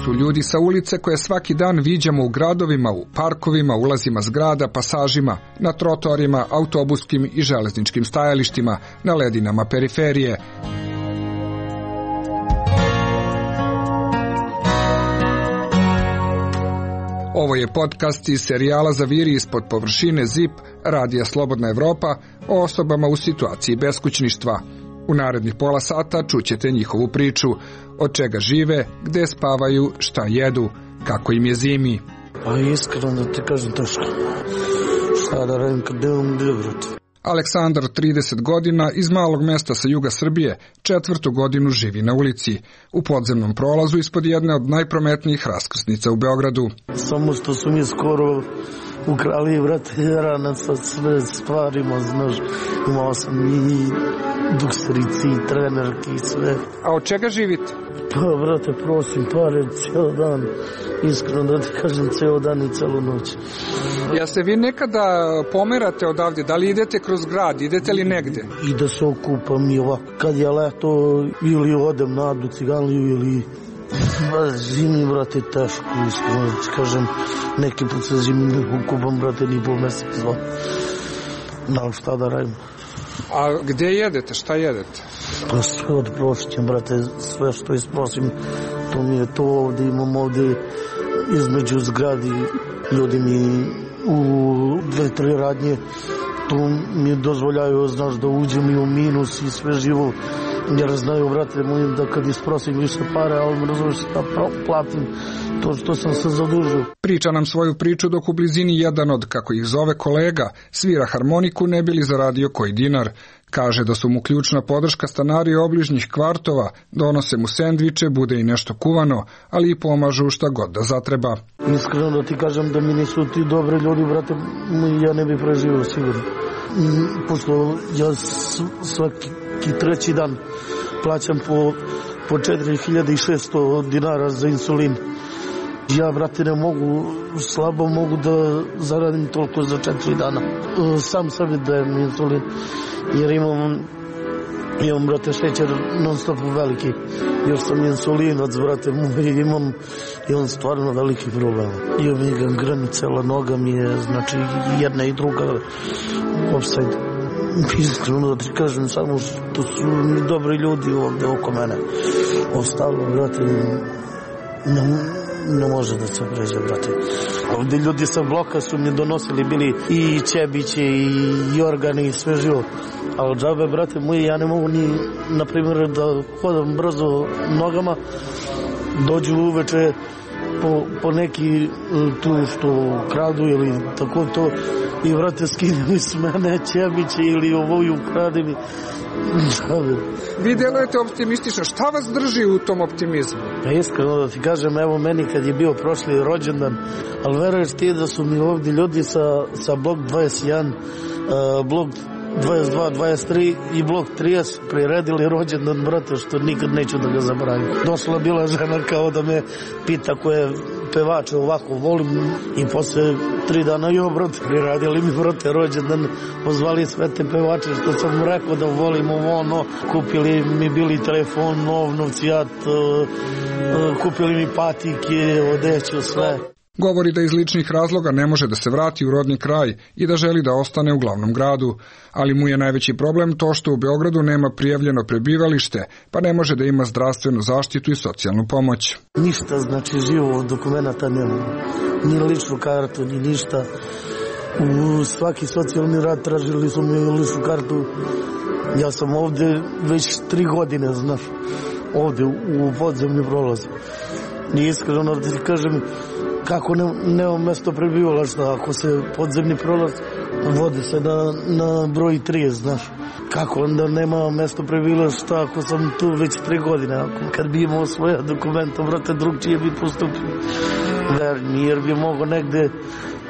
su ljudi sa ulice koje svaki dan viđamo u gradovima, u parkovima, ulazima zgrada, pasažima, na trotoarima, autobuskim i železničkim stajalištima, na ledinama periferije. Ovo je podcast iz serijala Zaviri ispod površine ZIP, radija Slobodna Evropa, o osobama u situaciji beskućništva. U narednih pola sata čućete njihovu priču, od čega žive, gde spavaju, šta jedu, kako im je zimi. Pa iskreno da ti kažem teško. Šta da radim kad nemam gdje, brate. Aleksandar, 30 godina, iz malog mesta sa juga Srbije, 4. godinu živi na ulici, u podzemnom prolazu ispod jedne od najprometnijih raskrsnica u Beogradu. Samo što su mi skoro ukrali, brate, rana sa sve stvarima, znaš, imao sam i dukserici, i trenerki i sve. A od čega živite? Pa, brate, prosim pare cijel dan, iskreno da ti kažem, cijel dan i celu noć. Ja se vi nekada pomerate odavde, da li idete kroz grad, idete li negde? I da se okupam i ovako, kad je leto ili odem na Adu Ciganliju ili zimi, brate, teško, iskreno da ti kažem, neki put se zimi ne okupam, brate, ni pol mjesec, dva. Da, šta da radim? A gde jedete, šta jedete? Pa sve od prošćem, brate, sve što isprosim, to mi je to ovdje, imam ovdje između zgradi, ljudi mi u 2-3 radnje, to mi dozvoljaju, znaš, da uđem i u minus i sve živo, jer znaju, brate mojim, da kad isprosim više pare, ali razumiješ da platim to što sam se zadužio. Priča nam svoju priču dok u blizini jedan od, kako ih zove, kolega svira harmoniku ne bi li zaradio koji dinar. Kaže da su mu ključna podrška stanari obližnjih kvartova, donose mu sendviče, bude i nešto kuvano, ali i pomažu šta god da zatreba. Iskreno da ti kažem da mi nisu ti dobri ljudi, brate, ja ne bi preživio sigurno. Pošto ja svaki treći dan plaćam po 4600 dinara za insulin. Ja, brate, ne mogu, slabo mogu da zaradim toliko za 4 dana. Sam sebi dajem insulin, jer imam, brate, šećer non stop veliki. Još sam insulinac, brate, imam stvarno veliki problem. Imam i gangrenu, cela noga mi je, znači, jedna i druga offside. Iskreno da ti kažem, samo što su mi dobri ljudi ovdje oko mene. Ostalo, brate, ne može da se pređe, brate. Ovdje ljudi sa bloka su mi donosili, bili i Čebiće i Jorgani i sve živo. Ali džabe, brate moji, ja ne mogu ni, na primjer, da hodam brzo nogama, dođu uveče po neki tu što kradu ili tako to i, brate, skine mi s mene Čebiće ili ovoju krade mi. Vi delujete optimistično, šta vas drži u tom optimizmu? Pa iskreno da ti kažem, evo meni kad je bio prošli rođendan, ali veruješ ti da su mi ovdje ljudi sa blok 21, blok 22, 23 i blok 30 priredili rođendan, brate, što nikad neću da ga zaboravim. Došla bila žena kao da me pita koje pevače ovako volim i posle 3 dana jo, brate, priradili mi, brate, rođendan, pozvali sve te pevače što sam rekao da volim ono, kupili mi bili telefon, nov, novcijat, kupili mi patike, odeću, sve. Govori da iz ličnih razloga ne može da se vrati u rodni kraj i da želi da ostane u glavnom gradu, ali mu je najveći problem to što u Beogradu nema prijavljeno prebivalište, pa ne može da ima zdravstvenu zaštitu i socijalnu pomoć. Ništa, znači, živo dokumenta nema, ni ličnu kartu, ni ništa. U svaki socijalni rad tražili su mi ličnu kartu. Ja sam ovdje već 3 godine, znaš, ovdje u podzemni prolaz. I iskreno da ti kažem, kako nema mjesto prebivališta, ako se podzemni prolaz vodi se na broj 30, znaš. Kako onda nema mjesto prebivališta ako sam tu već 3 godine, kad bi imao svoje dokumenta, brate, drugčije bi postupio. Jer bi mogo negde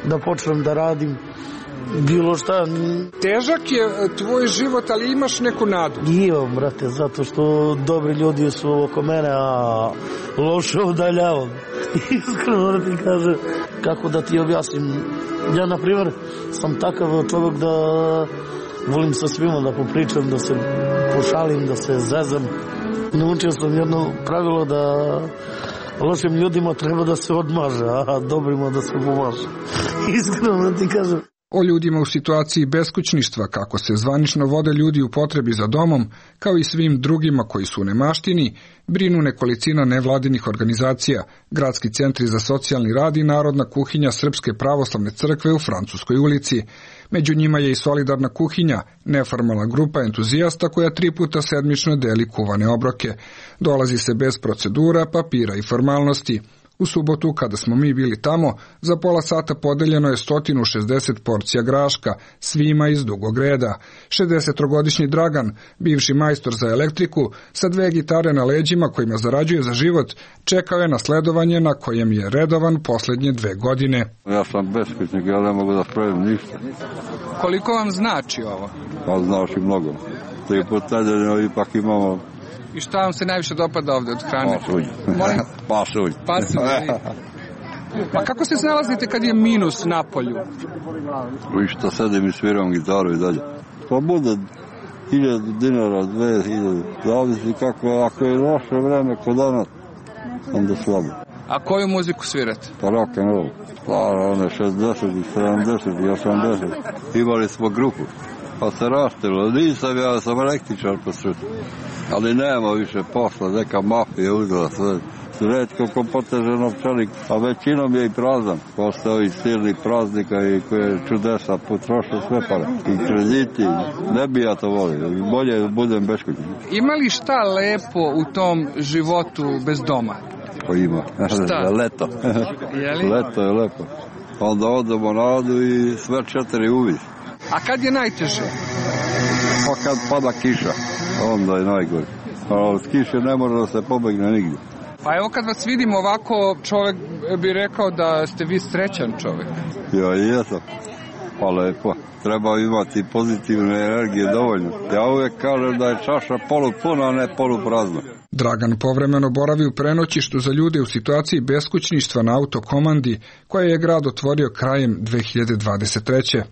da počnem da radim, bilo šta. Težak je tvoj život, ali imaš neku nadu? Imam, brate, zato što dobri ljudi su oko mene, a loše udaljavam. Iskreno da ti kažem, kako da ti objasnim. Ja, na primjer, sam takav čovjek da volim sa svima da popričam, da se pošalim, da se zezam. Naučio sam jedno pravilo da Lošim ljudima treba da se odmaže, a dobrima da se pomaže. Iskreno ti kažem. O ljudima u situaciji beskućništva, kako se zvanično vode ljudi u potrebi za domom, kao i svim drugima koji su u nemaštini, brinu nekolicina nevladinih organizacija, gradski centri za socijalni rad i Narodna kuhinja Srpske pravoslavne crkve u Francuskoj ulici. Među njima je i Solidarna kuhinja, neformalna grupa entuzijasta koja 3 puta sedmično deli kuvane obroke. Dolazi se bez procedura, papira i formalnosti. U subotu, kada smo mi bili tamo, za pola sata podeljeno je 160 porcija graška, svima iz dugog reda. 63-godišnji Dragan, bivši majstor za elektriku, sa 2 gitare na leđima kojima zarađuje za život, čekao je na sledovanje na kojem je redovan poslednje 2 godine. Ja sam beskućnik, ja ne mogu da spravim ništa. Koliko vam znači ovo? Pa znači mnogo. 3 puta nedeljno ipak imamo. I šta vam se najviše dopada ovde od hrane? Pasulj. Pasulj. Pasulj. Pa kako se snalazite kad je minus na polju? I što sedim i sviram gitaru i dalje. Pa bude 1000 dinara, 2000, zavisi kako, ako je loše vreme kod danas, onda slabo. A koju muziku svirate? Pa rock and roll. Stara, one 60, 70 i 80. Imali smo grupu. Pa se rastilo, nisam ja, sam električar po sreću. Ali nema više posla, neka mafija uzela sve. Redko ko poteže novčanik, a većinom je i prazan. Posle ovih silnih praznika i koje čudesa potroše sve pare. I krediti, ne bi ja to volio, bolje da budem beskućnik. Ima li šta lepo u tom životu bez doma? Pa ima. Šta? Leto. Leto je lepo. Onda odemo na vodu i sve 4 uvis. A kad je najteže? Pa kad pada kiša, onda je najgore. A od kiše ne može da se pobegne nigdje. Pa evo kad vas vidim ovako, čovjek bi rekao da ste vi srećan čovjek. Ja jesam. Pa lepo. Treba imati pozitivne energije dovoljno. Ja uvijek kažem da je čaša polupuna, a ne poluprazna. Dragan povremeno boravi u prenoćištu za ljude u situaciji beskućništva na autokomandi, koje je grad otvorio krajem 2023.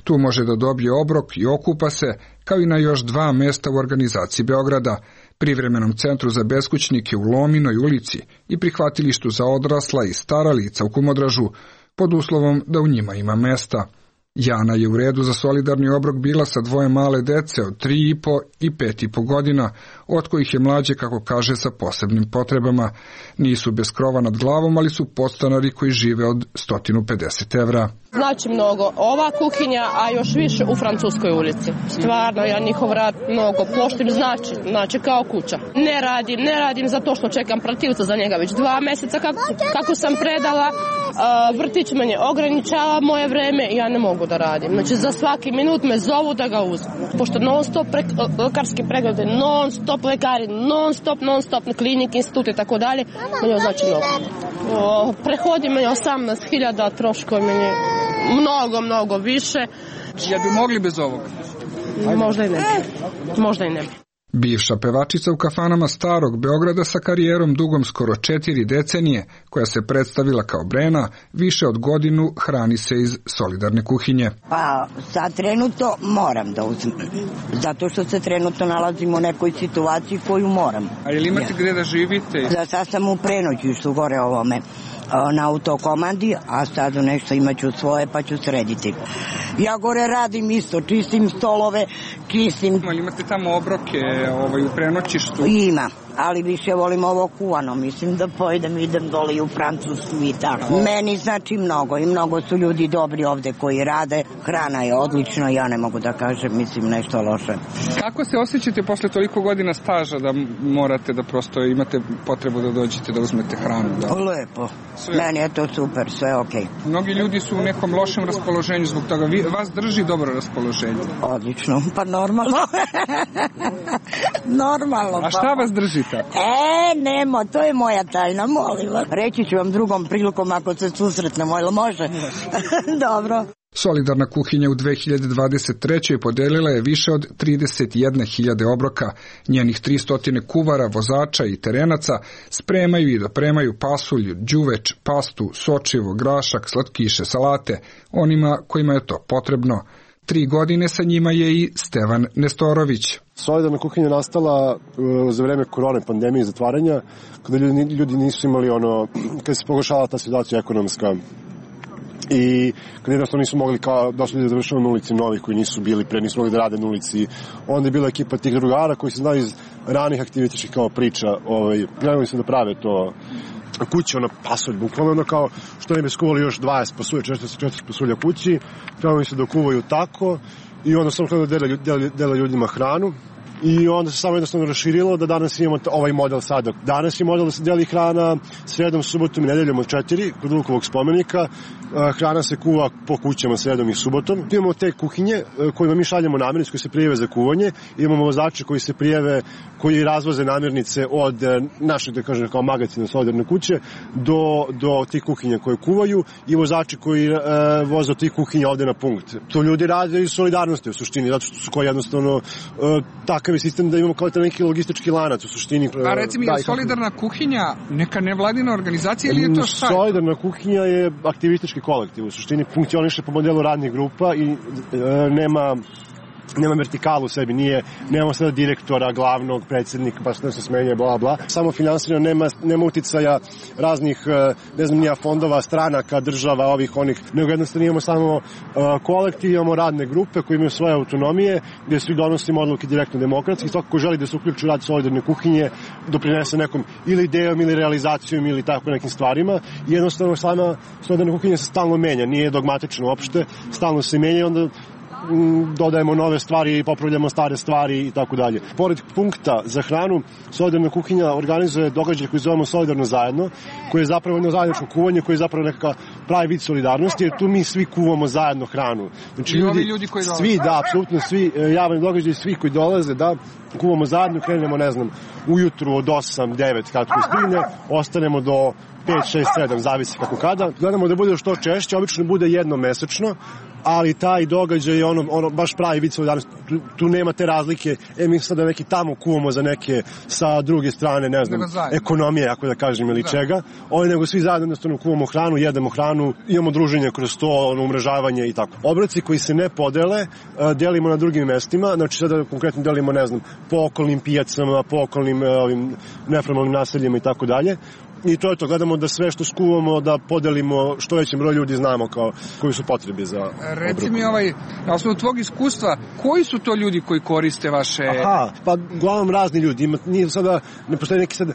Tu može da dobije obrok i okupa se, kao i na još 2 mesta u organizaciji Beograda, privremenom centru za beskućnike u Lominoj ulici i prihvatilištu za odrasla i stara lica u Kumodražu, pod uslovom da u njima ima mesta. Jana je u redu za solidarni obrok bila sa 2 male dece od 3,5 i 5,5 godina, od kojih je mlađe, kako kaže, sa posebnim potrebama. Nisu bez krova nad glavom, ali su podstanari koji žive od 150 evra. Znači mnogo ova kuhinja, a još više u Francuskoj ulici. Stvarno, ja njihov rad mnogo poštim, znači kao kuća. Ne radim zato što čekam protivca za njega već 2 meseca kako sam predala. Vrtić meni ograničava moje vreme i ja ne mogu da radim. Znači za svaki minut me zovu da ga uzmem. Pošto non stop lekarski preglede, non stop lekari, non stop klinik, institut i tako dalje, meni znači mnogo. Prehodi meni 18.000, troškovi meni mnogo više. Jel bi mogli bez ovoga? Možda i ne bi. Bivša pevačica u kafanama starog Beograda sa karijerom dugom skoro 4 decenije, koja se predstavila kao Brena, više od godinu hrani se iz solidarne kuhinje. Pa sad trenutno moram da uzmem, zato što se trenutno nalazim u nekoj situaciji koju moram. A je li imate gde da živite? Da, sad sam u prenoćištu gore ovome na autokomandi, a sad nešto imaću svoje pa ću srediti. Ja gore radim isto, čistim stolove, čistim... Ali imate tamo obroke u prenoćištu? Ima, ali više volim ovo kuvano, mislim da pojedem, idem dole i u Francusku i tako. Meni znači mnogo i mnogo su ljudi dobri ovde koji rade, hrana je odlična, ja ne mogu da kažem, mislim nešto loše. Kako se osjećate posle toliko godina staža da morate da prosto imate potrebu da dođete da uzmete hranu? Da? Lepo, meni je to super, sve okej. Mnogi ljudi su u nekom lošem raspoloženju zbog toga, vas drži dobro raspoloženje? Odlično, pa normalno. Normalno. A šta vas drži tako? Nemo, to je moja tajna, molim vas. Reći ću vam drugom prilikom ako se susretnemo, ili može? Dobro. Solidarna kuhinja u 2023. podelila je više od 31.000 obroka. Njenih 300 kuvara, vozača i terenaca spremaju i dopremaju pasulj, đuveč, pastu, sočivo, grašak, slatkiše, salate, onima kojima je to potrebno. 3 godine sa njima je i Stevan Nestorović. Solidarna kuhinja nastala za vreme korone, pandemije i zatvaranja, kada ljudi nisu imali kada se pogoršala ta situacija ekonomska i kada jednostavno nisu mogli da su ljudi završali na ulici novih koji nisu bili pre, nisu mogli da rade na ulici. Onda je bila ekipa tih drugara koji se znaju iz ranih aktivitičkih kao priča, krenuli se da prave to kuće, pasulj, bukvalno kao što ne bi skuvali još 20 pasulja, 44 pasulja kući, krenuli se da kuvaju tako i onda samo da dele ljudima hranu. I onda se samo jednostavno raširilo da danas imamo ovaj model sada. Danas je model da se deli hrana sredom, subotom i nedeljom od 4 kod Vukovog spomenika. Hrana se kuva po kućama sredom i subotom. Imamo te kuhinje kojima mi šaljemo namirnice koje se prijave za kuvanje. Imamo vozače koji se prijave, koji razvoze namirnice od našeg, da kažem, kao magacina solidarne kuće do tih kuhinja koje kuvaju i vozači koji voze od tih kuhinja ovde na punkt. To ljudi rade iz solidarnosti u suštini, zato što su koji jednostavno takav je sistem da imamo kao neki logistički lanac u suštini. A reci mi, je solidarna kuhinja neka nevladina organizacija ili je to šta? Solidarna kuhinja je aktivistički kolektiv. U suštini funkcioniše po modelu radnih grupa i nema vertikalu u sebi, nemamo sada direktora, glavnog, predsjednika, pa se smenje, bla, bla. Samo finansirano, nema uticaja raznih, ne znam, nija fondova, stranaka, država, ovih, onih, nego jednostavno imamo samo kolektiv, imamo radne grupe koje imaju svoje autonomije, gdje svi donosimo odluke direktno demokratski, svako ko želi da se uključi u rad solidarne kuhinje, doprinese nekom ili idejom ili realizacijom ili tako nekim stvarima. I jednostavno sama solidarna kuhinja se stalno menja, nije dogmatično uopšte, stalno se menja i onda dodajemo nove stvari i popravljamo stare stvari i tako dalje. Pored punkta za hranu, solidarna kuhinja organizuje događaj koji zovemo Solidarno zajedno, koji je zapravo jedno zajedničko kuvanje, koji je zapravo nekakav pravi vid solidarnosti, jer tu mi svi kuvamo zajedno hranu. Znači, ljudi koji dolaze? Svi, da, apsolutno svi, javni događaj, svi koji dolaze, da, kuvamo zajedno, krenemo, ne znam, ujutru od 8, 9, kad ko stigne, ostanemo do 5, 6, 7, zavisi kako kada. Gledamo da bude što češće, obično bude jednom mesečno, ali taj događaj je baš pravi vid solidarnosti. Tu nema te razlike, mi sada neki tamo kuvamo za neke sa druge strane, ne znam, ekonomije, ako da kažem, ili čega. Nego svi zajedno jednostavno kuvamo hranu, jedemo hranu, imamo druženje kroz to, umrežavanje i tako. Obroci koji se ne podele, delimo na drugim mestima, znači sada konkretno delimo, ne znam, po okolnim pijacama, po okolnim neformalnim naseljima i tako dalje. I to je to, gledamo da sve što skuvamo da podelimo što većem broju ljudi, znamo koji su potrebi za obroke. Reci mi, na osnovu tvog iskustva, koji su to ljudi koji koriste vaše... Pa uglavnom razni ljudi, nije sada, ne postoji neki sada,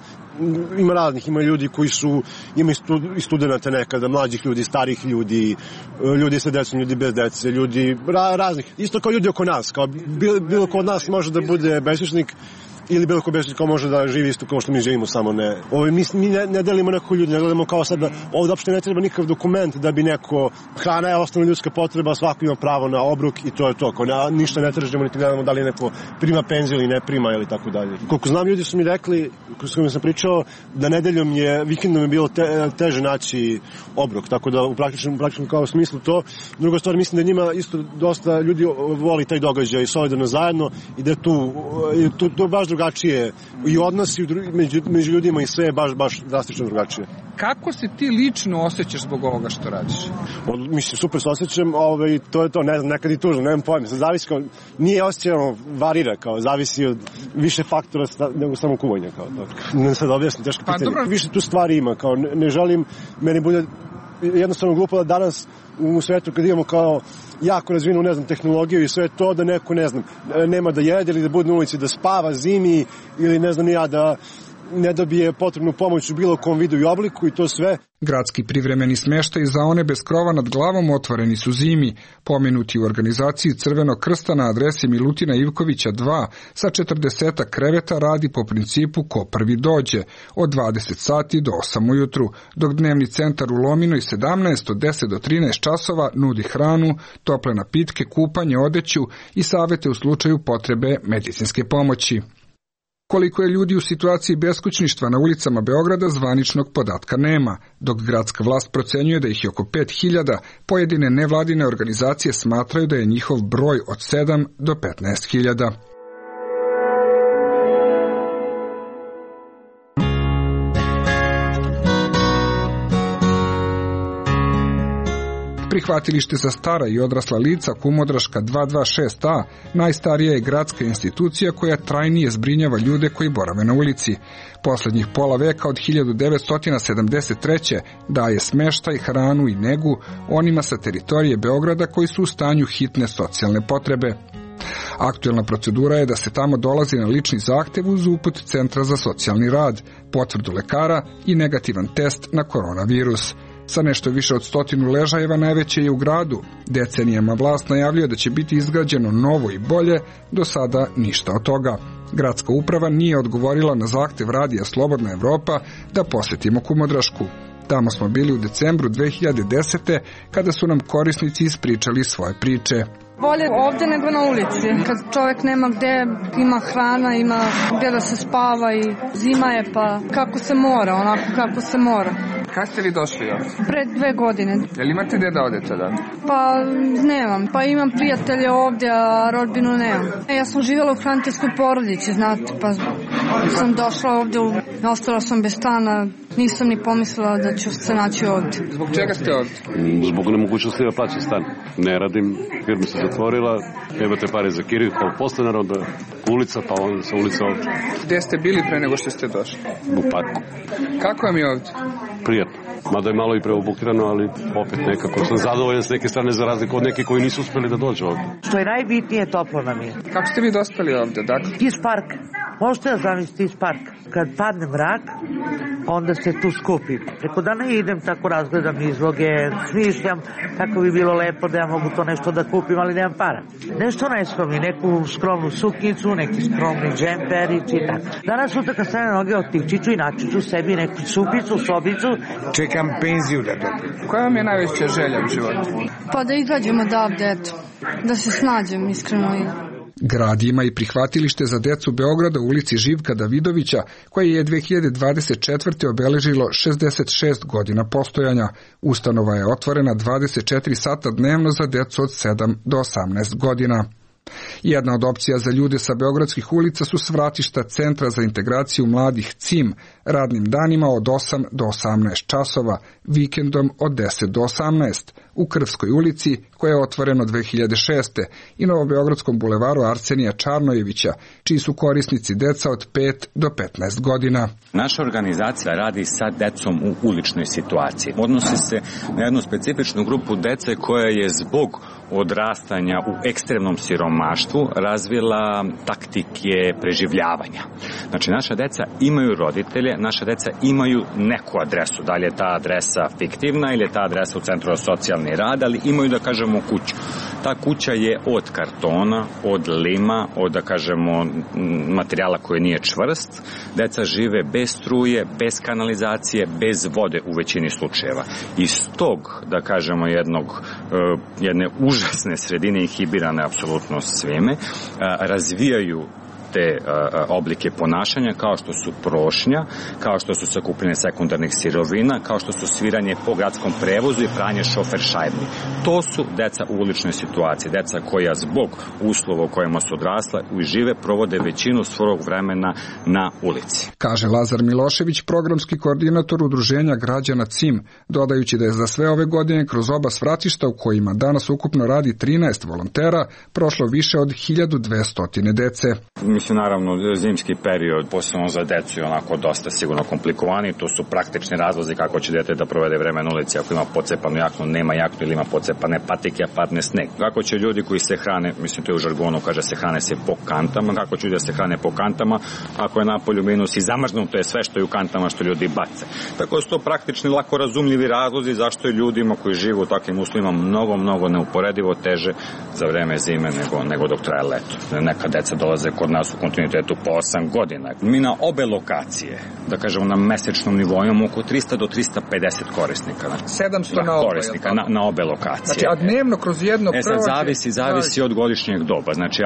ima raznih, ima ljudi koji su, ima i studenta nekada, mlađih ljudi, starih ljudi, ljudi sa decom, ljudi bez dece, ljudi raznih, isto kao ljudi oko nas, kao bilo ko od nas može da bude beskućnik, ili bilo ko beskućnik kao može da živi isto kao što mi živimo, samo ne. Mi ne delimo nekog ljudi, ne gledamo kao sad da ovdje uopšte ne treba nikakav dokument da bi neko, hrana je osnovna ljudska potreba, svako ima pravo na obrok i to je to. Ništa ne tražimo, niti gledamo da li neko prima penziju ili ne prima ili tako dalje. Koliko znam, ljudi su mi rekli, s kojima sam pričao, da nedeljom vikendom je bilo teže naći obrok, tako da u praktičnom kao smislu to. Druga stvar, mislim da njima isto dosta ljudi voli taj događaj solidarno zajedno i da je tu baš drugačije i odnosi među ljudima i sve je baš drastično drugačije. Kako se ti lično osjećaš zbog ovoga što radiš? Mislim, super se osjećam, to je to, ne znam, nekad i tužno, nemam pojma, zavisi kao, nije osjećano, varira, kao, zavisi od više faktora nego samo kuvanja, kao, ne sad objasnim, teško pitanje. Više tu stvari ima, kao, ne želim, meni bude jednostavno glupo da danas u svetu kad imamo kao jako razvinu, ne znam, tehnologiju i sve to, da neko, ne znam, nema da jede ili da bude na ulici, da spava zimi ili ne znam ja, da ne dobije potrebnu pomoć u bilo kom vidu i obliku i to sve. Gradski privremeni smještaj za one bez krova nad glavom otvoreni su zimi, pomenuti u organizaciji Crvenog krsta na adresi Milutina Ivkovića 2 sa 40 kreveta radi po principu ko prvi dođe, od 20 sati do 8 ujutru, dok dnevni centar u Lominoj 17 od 10 do 13 časova nudi hranu, tople napitke, kupanje, odeću i savete u slučaju potrebe medicinske pomoći. Koliko je ljudi u situaciji beskućništva na ulicama Beograda, zvaničnog podatka nema, dok gradska vlast procenjuje da ih je oko 5.000, pojedine nevladine organizacije smatraju da je njihov broj od 7 do 15.000. Prihvatilište za stara i odrasla lica Kumodraška 226A najstarija je gradska institucija koja trajnije zbrinjava ljude koji borave na ulici. Poslednjih pola veka od 1973. daje smeštaj, hranu i negu onima sa teritorije Beograda koji su u stanju hitne socijalne potrebe. Aktuelna procedura je da se tamo dolazi na lični zahtev uz uput Centra za socijalni rad, potvrdu lekara i negativan test na koronavirus. Sa nešto više od 100 ležajeva najveće je u gradu. Decenijama vlast najavljuje da će biti izgrađeno novo i bolje, do sada ništa od toga. Gradska uprava nije odgovorila na zahtev radija Slobodna Evropa da posetimo Kumodrašku. Tamo smo bili u decembru 2010. kada su nam korisnici ispričali svoje priče. Bolje ovdje nego na ulici. Kad čovjek nema gde, ima hrana, ima gdje da se spava i zima je pa kako se mora, onako kako se mora. Kad ste vi došli ovdje? Pred 2 godine. Jel imate gde da odete da? Pa nemam. Pa imam prijatelje ovdje, a rodbinu nemam. Ja sam živjela u hraniteljskoj porodici, znate, pa sam došla ovdje, ostala sam bez stana, nisam ni pomislila da ću se naći ovdje. Zbog čega ste ovdje? Zbog nemogućnosti da plaćam stan. Ne radim, firma se zatvorila, imate pare za kiriju, pa postanar, onda ulica, pa onda sa ulica ovdje. Gde ste bili pre nego što ste došli? U parku. Kako vam je ovdje? Prijatno. Mada je malo i preobukirano, ali opet nekako sam zadovoljan s neke strane za razliku od nekih koji nisu uspeli da dođu ovdje. Što je najbitnije, toplo nam je. Kako ste vi dospeli ovdje? Dakle? Iz parka. Možete da zamislite iz parka. Kad padne mrak, onda se tu skupim. Preko dana idem, tako razgledam izloge, smišljam kako bi bilo lepo da ja mogu to nešto da kupim, ali nemam para. Nešto najskromnije, neku skromnu suknicu, neki skromni džemperić i tako. Danas sutra kad stane noge otići ću i naći ću sebi neku supicu, sobicu. Čekam penziju da dobijem. Koja vam je najveća želja u životu? Pa da izađemo odavde, eto. Da se snađem, iskreno. Grad ima i prihvatilište za decu Beograda u ulici Živka Davidovića, koje je 2024. obeležilo 66 godina postojanja. Ustanova je otvorena 24 sata dnevno za decu od 7 do 18 godina. Jedna od opcija za ljude sa beogradskih ulica su svratišta Centra za integraciju mladih CIM, radnim danima od 8 do 18 časova, vikendom od 10 do 18, u Krvskoj ulici, koja je otvorena 2006. i Novobeogradskom bulevaru Arsenija Čarnojevića, čiji su korisnici deca od 5 do 15 godina. Naša organizacija radi sa decom u uličnoj situaciji. Odnosi se na jednu specifičnu grupu dece koja je zbog odrastanja u ekstremnom siromaštvu razvila taktike preživljavanja. Znači, naša deca imaju roditelje, naša deca imaju neku adresu, da li je ta adresa fiktivna ili je ta adresa u Centru za socijalni rad, ali imaju, da kažemo, kuću. Ta kuća je od kartona, od lima, od, da kažemo, materijala koji nije čvrst. Deca žive bez struje, bez kanalizacije, bez vode u većini slučajeva. Iz tog, da kažemo, jedne užasne sredine inhibirane apsolutno svime, razvijaju te oblike ponašanja kao što su prošnja, kao što su sakupljanje sekundarnih sirovina, kao što su sviranje po gradskom prevozu i pranje šoferšajbni. To su deca u uličnoj situaciji, deca koja zbog uslova u kojima su odrasla i žive provode većinu svog vremena na ulici. Kaže Lazar Milošević, programski koordinator udruženja građana CIM, dodajući da je za sve ove godine kroz oba svratišta u kojima danas ukupno radi 13 volontera prošlo više od 1200 dece. Mislim, naravno, zimski period, posebno za decu, je onako dosta sigurno komplikovani. To su praktični razlozi kako će dete da provede vreme na ulici ako ima pocepanu jaknu, nema jaknu ili ima pocepane patike, a padne sneg. Kako će ljudi koji se hrane, mislim, to je u žargonu, kaže se hrane se po kantama, kako će ljudi da se hrane po kantama ako je napolju minus i zamrznuto je sve što je u kantama što ljudi bace. Tako su to praktični, lako razumljivi razlozi zašto je ljudima koji žive u takvim uslovima mnogo neuporedivo teže za vreme zime nego dok traje leto. Neka deca dolaze kod nas u kontinuitetu po 8 godina. Mi na obe lokacije, da kažemo na mesečnom nivou, imamo oko 300 do 350 korisnika. 700 na obe, korisnika na obe lokacije. Znači, a dnevno kroz jedno prođe? Zavisi od godišnjeg doba. Znači,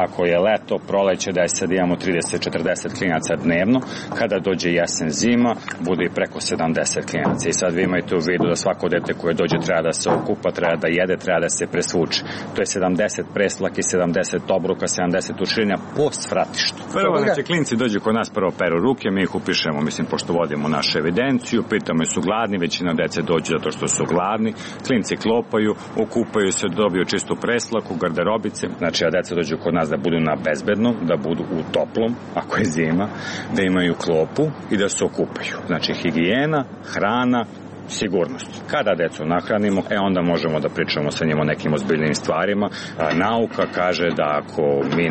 ako je leto, proleće, da je sad imamo 30-40 klinaca dnevno, kada dođe jesen, zima, bude i preko 70 klinaca. I sad vi imajte u vidu da svako dete koje dođe treba da se okupa, treba da jede, treba da se presvuče. To je 70 preslaki, 70 obruka, 70 ušinja, po svratištu. Prvo, znači, klinci dođu kod nas, prvo peru ruke, mi ih upišemo, mislim, pošto vodimo našu evidenciju, pitamo su gladni, većina dece dođe zato što su gladni, klinci klopaju, okupaju se, dobiju čistu preslaku, garderobice, znači, a deca dođu kod nas da budu na bezbednom, da budu u toplom, ako je zima, da imaju klopu i da se okupaju. Znači, higijena, hrana, sigurnost. Kada decu nahranimo, onda možemo da pričamo sa njima o nekim ozbiljnim stvarima. Nauka kaže da ako mi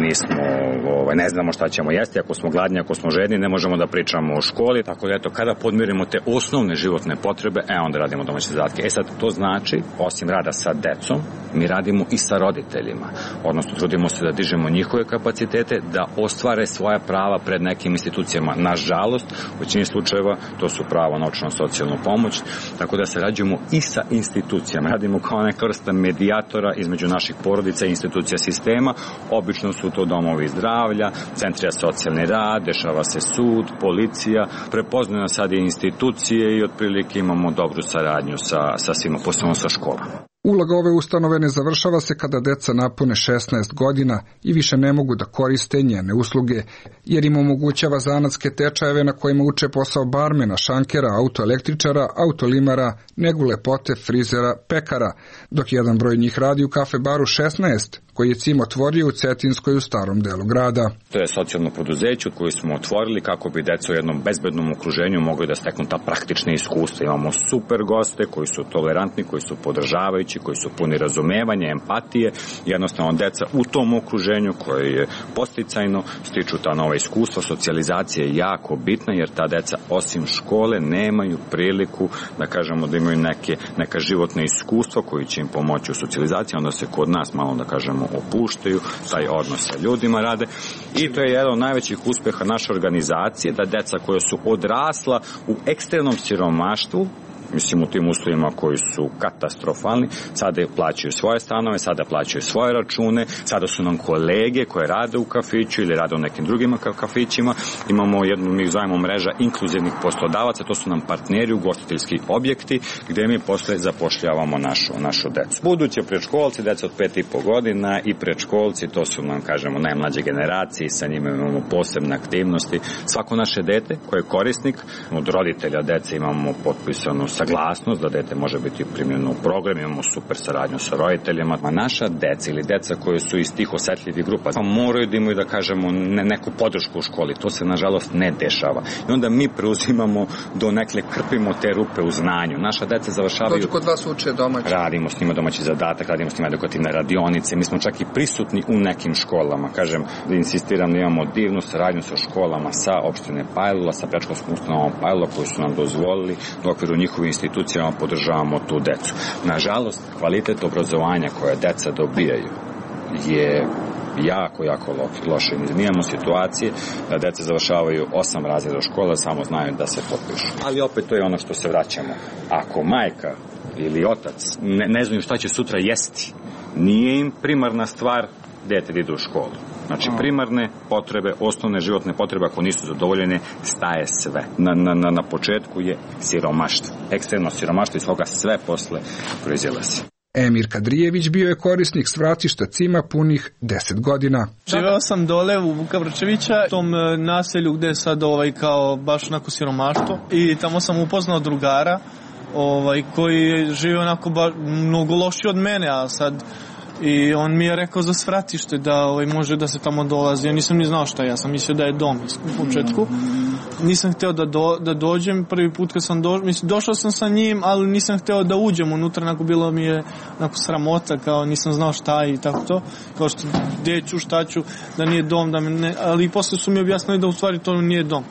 ne znamo šta ćemo jesti, ako smo gladni, ako smo žedni, ne možemo da pričamo o školi. Tako da, kada podmirimo te osnovne životne potrebe, onda radimo domaće zadatke. Sad, to znači, osim rada sa decom, mi radimo i sa roditeljima. Odnosno, trudimo se da dižemo njihove kapacitete, da ostvare svoja prava pred nekim institucijama. Nažalost, u većini slučajeva, to su pravo na socijalnu pomoć, tako da sarađujemo i sa institucijama. Radimo kao neka vrsta medijatora između naših porodica i institucija sistema. Obično su to domovi zdravlja, centri za socijalni rad, dešava se sud, policija, prepoznaju nas sad i institucije i otprilike imamo dobru saradnju sa svima, posebno sa školama. Uloga ove ustanove ne završava se kada deca napune 16 godina i više ne mogu da koriste njene usluge, jer im omogućava zanatske tečajeve na kojima uče posao barmena, šankera, autoelektričara, autolimara, negu lepote, frizera, pekara, dok jedan broj njih radi u kafe baru 16, koji je CIM otvorio u Cetinskoj u starom delu grada. To je socijalno preduzeće koje smo otvorili kako bi deca u jednom bezbednom okruženju mogli da steknu ta praktična iskustva. Imamo super goste koji su tolerantni, koji su podržavajući, koji su puni razumevanja, empatije. Jednostavno, deca u tom okruženju koje je podsticajno stiču ta nova iskustva. Socijalizacija je jako bitna jer ta deca osim škole nemaju priliku da kažemo da imaju neka životna iskustva koji će im pomoći u socijalizaciji. Onda se kod nas malo da kažemo opuštaju, taj odnos sa ljudima rade i to je jedan od najvećih uspeha naše organizacije, da deca koja su odrasla u ekstremnom siromaštvu, mislim u tim uslovima koji su katastrofalni, sada plaćaju svoje stanove, sada plaćaju svoje račune, sada su nam kolege koje rade u kafiću ili rade u nekim drugim kafićima. Imamo jednu, mi zovemo mreža inkluzivnih poslodavaca, to su nam partneri, ugostiteljski objekti, gde mi posle zapošljavamo našu decu. Buduće predškolci, deca od 5,5 godina i predškolci, to su nam, kažemo, najmlađe generacije, sa njima imamo posebne aktivnosti. Svako naše dete koje je korisnik, od roditelja dece imamo potpisanu saglasnost da dete može biti primljeno u program, imamo super saradnju sa roditeljima. A naša deca ili deca koje su iz tih osetljivih grupa moraju da imaju, da kažemo, neku podršku u školi. To se, nažalost, ne dešava. I onda mi preuzimamo do nekle, krpimo te rupe u znanju. Naša deca završavaju... Dođu kod vas uče domaći. Radimo s njima domaći zadatak, radimo s njima edukativne radionice. Mi smo čak i prisutni u nekim školama. Kažem, da insistiram da imamo divnu saradnju sa školama, sa opštine Pajlula, sa predškolskom ustanovom Pajlula, koji su nam dozvolili da u okviru njihovih institucijama podržavamo tu decu. Nažalost, kvalitet obrazovanja koje deca dobijaju je jako loše. Mi imamo situacije da deca završavaju 8 razreda škole, samo znaju da se potpišu. Ali opet to je ono što se vraćamo. Ako majka ili otac ne znaju šta će sutra jesti, nije im primarna stvar dete da ide u školu. Znači, primarne potrebe, osnovne životne potrebe, ako nisu zadovoljene, staje sve. Na početku je siromaštvo. Ekstremno siromaštvo iz koga sve posle proizilazi. Emir Kadrijević bio je korisnik svratišta CIM-a punih 10 godina. Živeo sam dole u Vukavrčevića, u tom naselju gde je sad kao baš onako siromaštvo, i tamo sam upoznao drugara koji žive onako mnogo lošiji od mene, a sad i on mi je rekao za svratište da može da se tamo dolazi. Ja nisam ni znao šta, ja sam mislio da je dom u početku. Nisam hteo da dođem, prvi put kad sam došao sam sa njim, ali nisam hteo da uđem unutra, bilo mi je sramota, kao nisam znao šta i tako to, kao što gde ću, šta ću, da nije dom, ali posle su mi objasnili da u stvari to nije dom.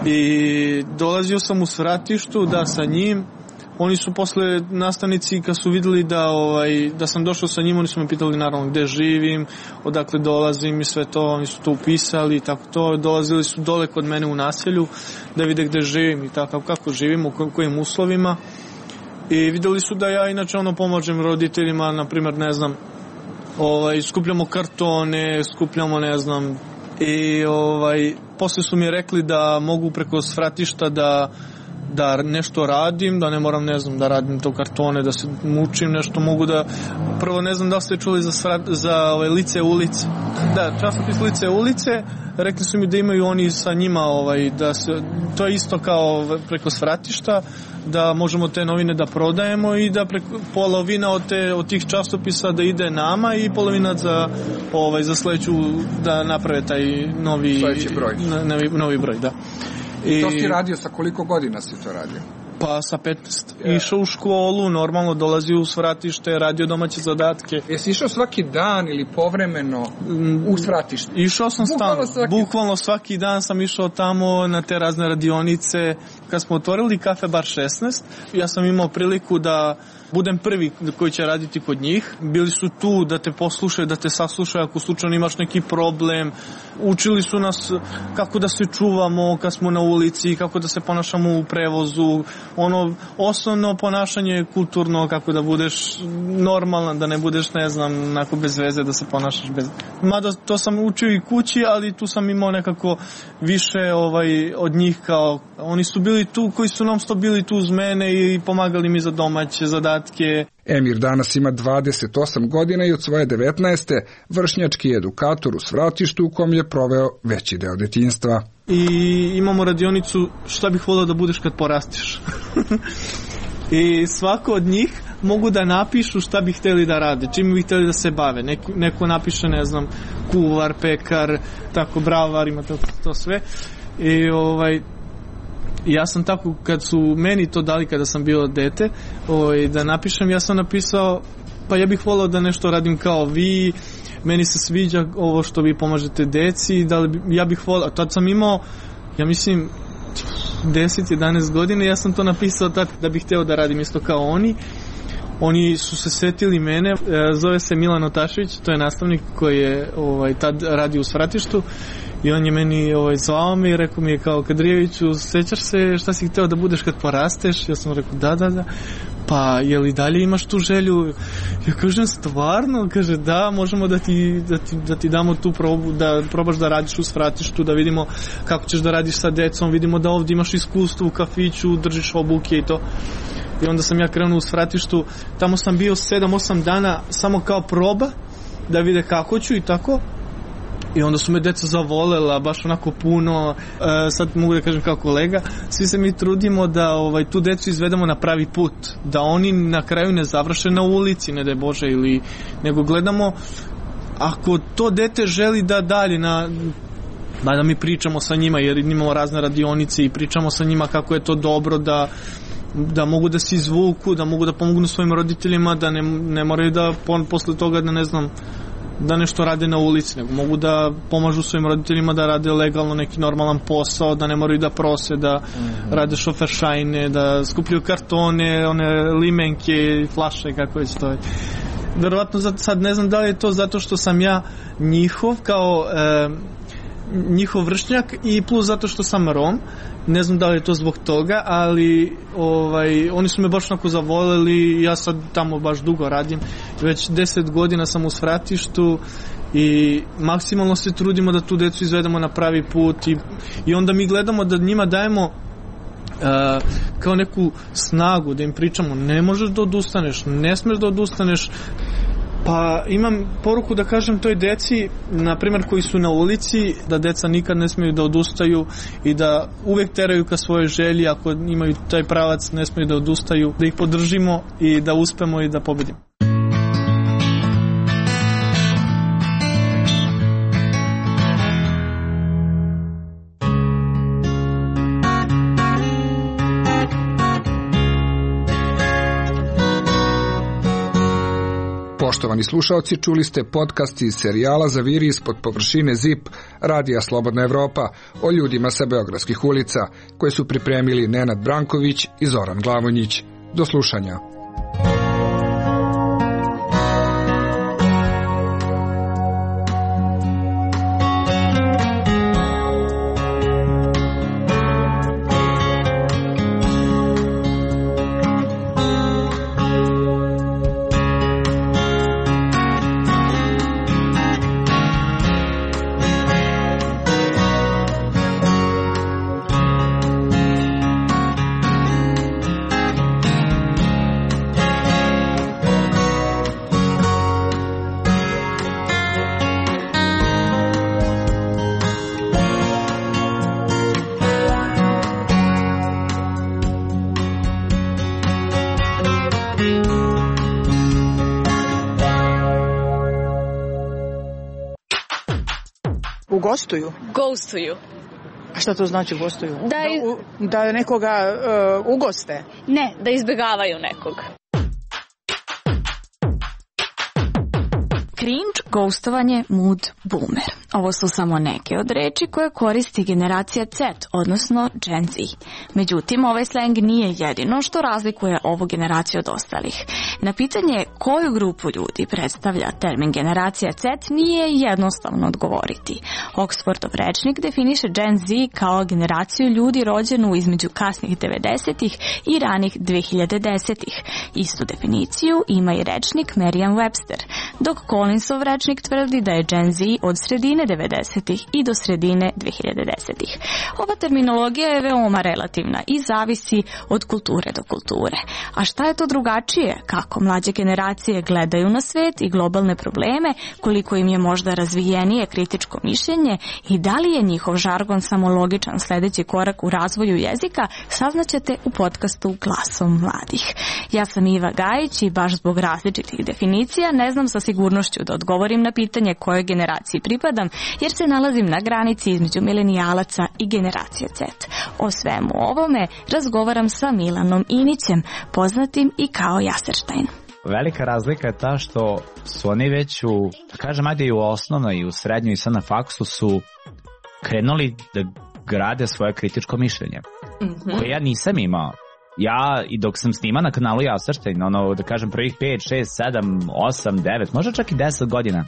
I dolazio sam u svratištu sa njim. Oni su posle nastavnici, kad su videli da sam došao sa njim, oni su me pitali naravno gde živim, odakle dolazim i sve to, oni su to upisali i tako to. Dolazili su dole kod mene u naselju da vide gde živim i tako, kako živim, u kojim uslovima. I videli su da ja inače pomažem roditeljima, na primjer, ne znam, skupljamo kartone, skupljamo, ne znam, i posle su mi rekli da mogu preko svratišta da da nešto radim, da ne moram, ne znam, da radim to kartone, da se mučim, nešto mogu da... Prvo, ne znam da li ste čuli za Lice ulice. Da, časopis Lice ulice, rekli su mi da imaju oni sa njima, da se, to je isto kao preko svratišta, da možemo te novine da prodajemo i da polovina od tih časopisa da ide nama i polovina za sledeću da naprave taj novi broj, da. I to si radio, sa koliko godina si to radio? Pa sa 15. Išao u školu, normalno dolazio u svratište, radio domaće zadatke. Jesi išao svaki dan ili povremeno u svratište? Išao sam stalno. Bukvalno svaki dan sam išao tamo na te razne radionice. Kad smo otvorili Kafe Bar 16, ja sam imao priliku da budem prvi koji će raditi kod njih. Bili su tu da te poslušaju, da te saslušaju ako slučajno imaš neki problem. Učili su nas kako da se čuvamo kad smo na ulici, kako da se ponašamo u prevozu. Osnovno ponašanje kulturno, kako da budeš normalan, da ne budeš, ne znam, onako bez veze, da se ponašaš bez... Mada to sam učio i kući, ali tu sam imao nekako više od njih, kao oni su bili tu, koji su non-stop bili tu uz mene i pomagali mi za domaće zadatke. Emir danas ima 28 godina i od svoje 19. vršnjački edukator u svratištu u kom je proveo veći deo detinjstva. I imamo radionicu šta bih volio da budeš kad porastiš. I svako od njih mogu da napišu šta bi hteli da rade, čim bi hteli da se bave. Neko napiše, ne znam, kuvar, pekar, tako, bravar, ima to sve. I ja sam tako, kad su meni to dali kada sam bio dete, da napišem, ja sam napisao, pa ja bih volao da nešto radim kao vi, meni se sviđa ovo što vi pomažete deci, ja bih volao, tad sam imao, ja mislim, 10-11 godina, ja sam to napisao tad da bih hteo da radim isto kao oni. Oni su se setili mene, zove se Milan Otašević, to je nastavnik koji je tad radi u svratištu i on je meni zvao me i rekao mi je kao, Kadrijeviću, sećaš se šta si hteo da budeš kad porasteš? Ja sam rekao da, pa je li dalje imaš tu želju? Ja kažem, stvarno? Kaže, da, možemo da ti damo tu probu, da probaš da radiš u svratištu, da vidimo kako ćeš da radiš sa decom, vidimo da ovdje imaš iskustvo u kafiću, držiš obuke i to. I onda sam ja krenuo u svratištu, tamo sam bio 7-8 dana samo kao proba, da vide kako ću i tako. I onda su me deca zavolela, baš onako puno, sad mogu da kažem kao kolega, svi se mi trudimo da tu decu izvedemo na pravi put, da oni na kraju ne završe na ulici, ne daj Bože, nego gledamo, ako to dete želi da dalje da mi pričamo sa njima, jer imamo razne radionice i pričamo sa njima kako je to dobro, da mogu da se izvuku, da mogu da pomognu svojim roditeljima, da ne moraju da posle toga da ne znam, da nešto rade na ulici, nego mogu da pomažu svojim roditeljima da rade legalno neki normalan posao, da ne moraju da prose, da rade šoferšajne, da skupljaju kartone, one limenke, flaše, kako već to je. Verovatno sad ne znam da li je to zato što sam ja njihov kao njihov vršnjak i plus zato što sam Rom, ne znam da li je to zbog toga, ali oni su me baš onako zavoleli, ja sad tamo baš dugo radim, već 10 godina sam u svratištu i maksimalno se trudimo da tu decu izvedemo na pravi put i onda mi gledamo da njima dajemo kao neku snagu, da im pričamo, ne možeš da odustaneš, ne smeš da odustaneš. Pa imam poruku da kažem toj deci, na primjer koji su na ulici, da deca nikad ne smiju da odustaju i da uvek teraju ka svojoj želji, ako imaju taj pravac ne smiju da odustaju, da ih podržimo i da uspemo i da pobedimo. Poštovani slušaoci, čuli ste podcast iz serijala Zaviri ispod površine ZIP Radija Slobodna Evropa o ljudima sa beogradskih ulica, koje su pripremili Nenad Branković i Zoran Glavonjić. Do slušanja. Ugostuju? Ghostuju. A šta to znači gostuju? Da nekoga ugoste? Ne, da izbjegavaju nekog. Cringe, ghostovanje, mood, boomer. Ovo su samo neke od reči koje koristi generacija Z, odnosno Gen Z. Međutim, ovaj slang nije jedino što razlikuje ovu generaciju od ostalih. Na pitanje koju grupu ljudi predstavlja termin generacija Z nije jednostavno odgovoriti. Oxfordov rečnik definiše Gen Z kao generaciju ljudi rođenu između kasnih 90-ih i ranih 2010-ih. Istu definiciju ima i rečnik Merriam-Webster, dok Collinsov rečnik tvrdi da je Gen Z od sredine 90-ih i do sredine 2010-ih. Ova terminologija je veoma relativna i zavisi od kulture do kulture. A šta je to drugačije? Kako mlađe generacije gledaju na svet i globalne probleme, koliko im je možda razvijenije kritičko mišljenje i da li je njihov žargon samo logičan sljedeći korak u razvoju jezika, saznaćete u podcastu Glasom mladih. Ja sam Iva Gajić i baš zbog različitih definicija ne znam sa sigurnošću da odgovorim na pitanje kojoj generaciji pripadam, jer se nalazim na granici između milenijalaca i generacije Z. O svemu ovome razgovaram sa Milanom Inićem, poznatim i kao Jaserštajn. Velika razlika je ta što su oni već da kažem, ajde i u osnovnoj i u srednjoj i sad na faksu su krenuli da grade svoje kritičko mišljenje, koje ja nisam imao. Ja, i dok sam snima na kanalu Jaserštajn, da kažem prvih 5, 6, 7, 8, 9, možda čak i 10 godina,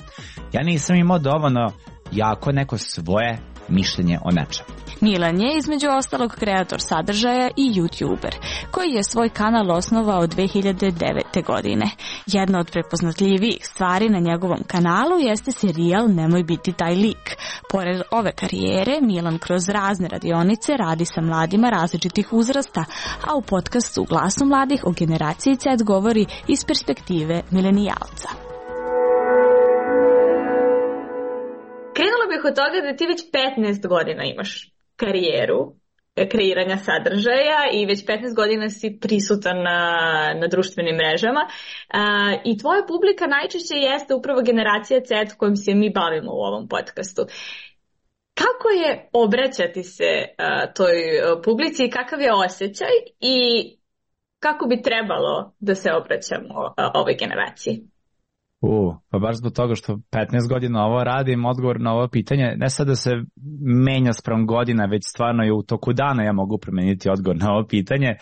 ja nisam imao dovoljno jako neko svoje mišljenje o nečem. Milan je između ostalog kreator sadržaja i YouTuber, koji je svoj kanal osnovao 2009. godine. Jedna od prepoznatljivijih stvari na njegovom kanalu jeste serijal Nemoj biti taj lik. Pored ove karijere, Milan kroz razne radionice radi sa mladima različitih uzrasta, a u podcastu Glasu mladih o generaciji Z govori iz perspektive milenijalca. Krenula bih od toga da ti već 15 godina imaš karijeru kreiranja sadržaja i već 15 godina si prisutan na društvenim mrežama i tvoja publika najčešće jeste upravo generacija Z kojom se mi bavimo u ovom podcastu. Kako je obraćati se toj publici i kakav je osjećaj i kako bi trebalo da se obraćamo ovoj generaciji? Pa baš zbog toga što 15 godina ovo radim, odgovor na ovo pitanje, ne sad da se menja sprem godina, već stvarno je u toku dana ja mogu promeniti odgovor na ovo pitanje.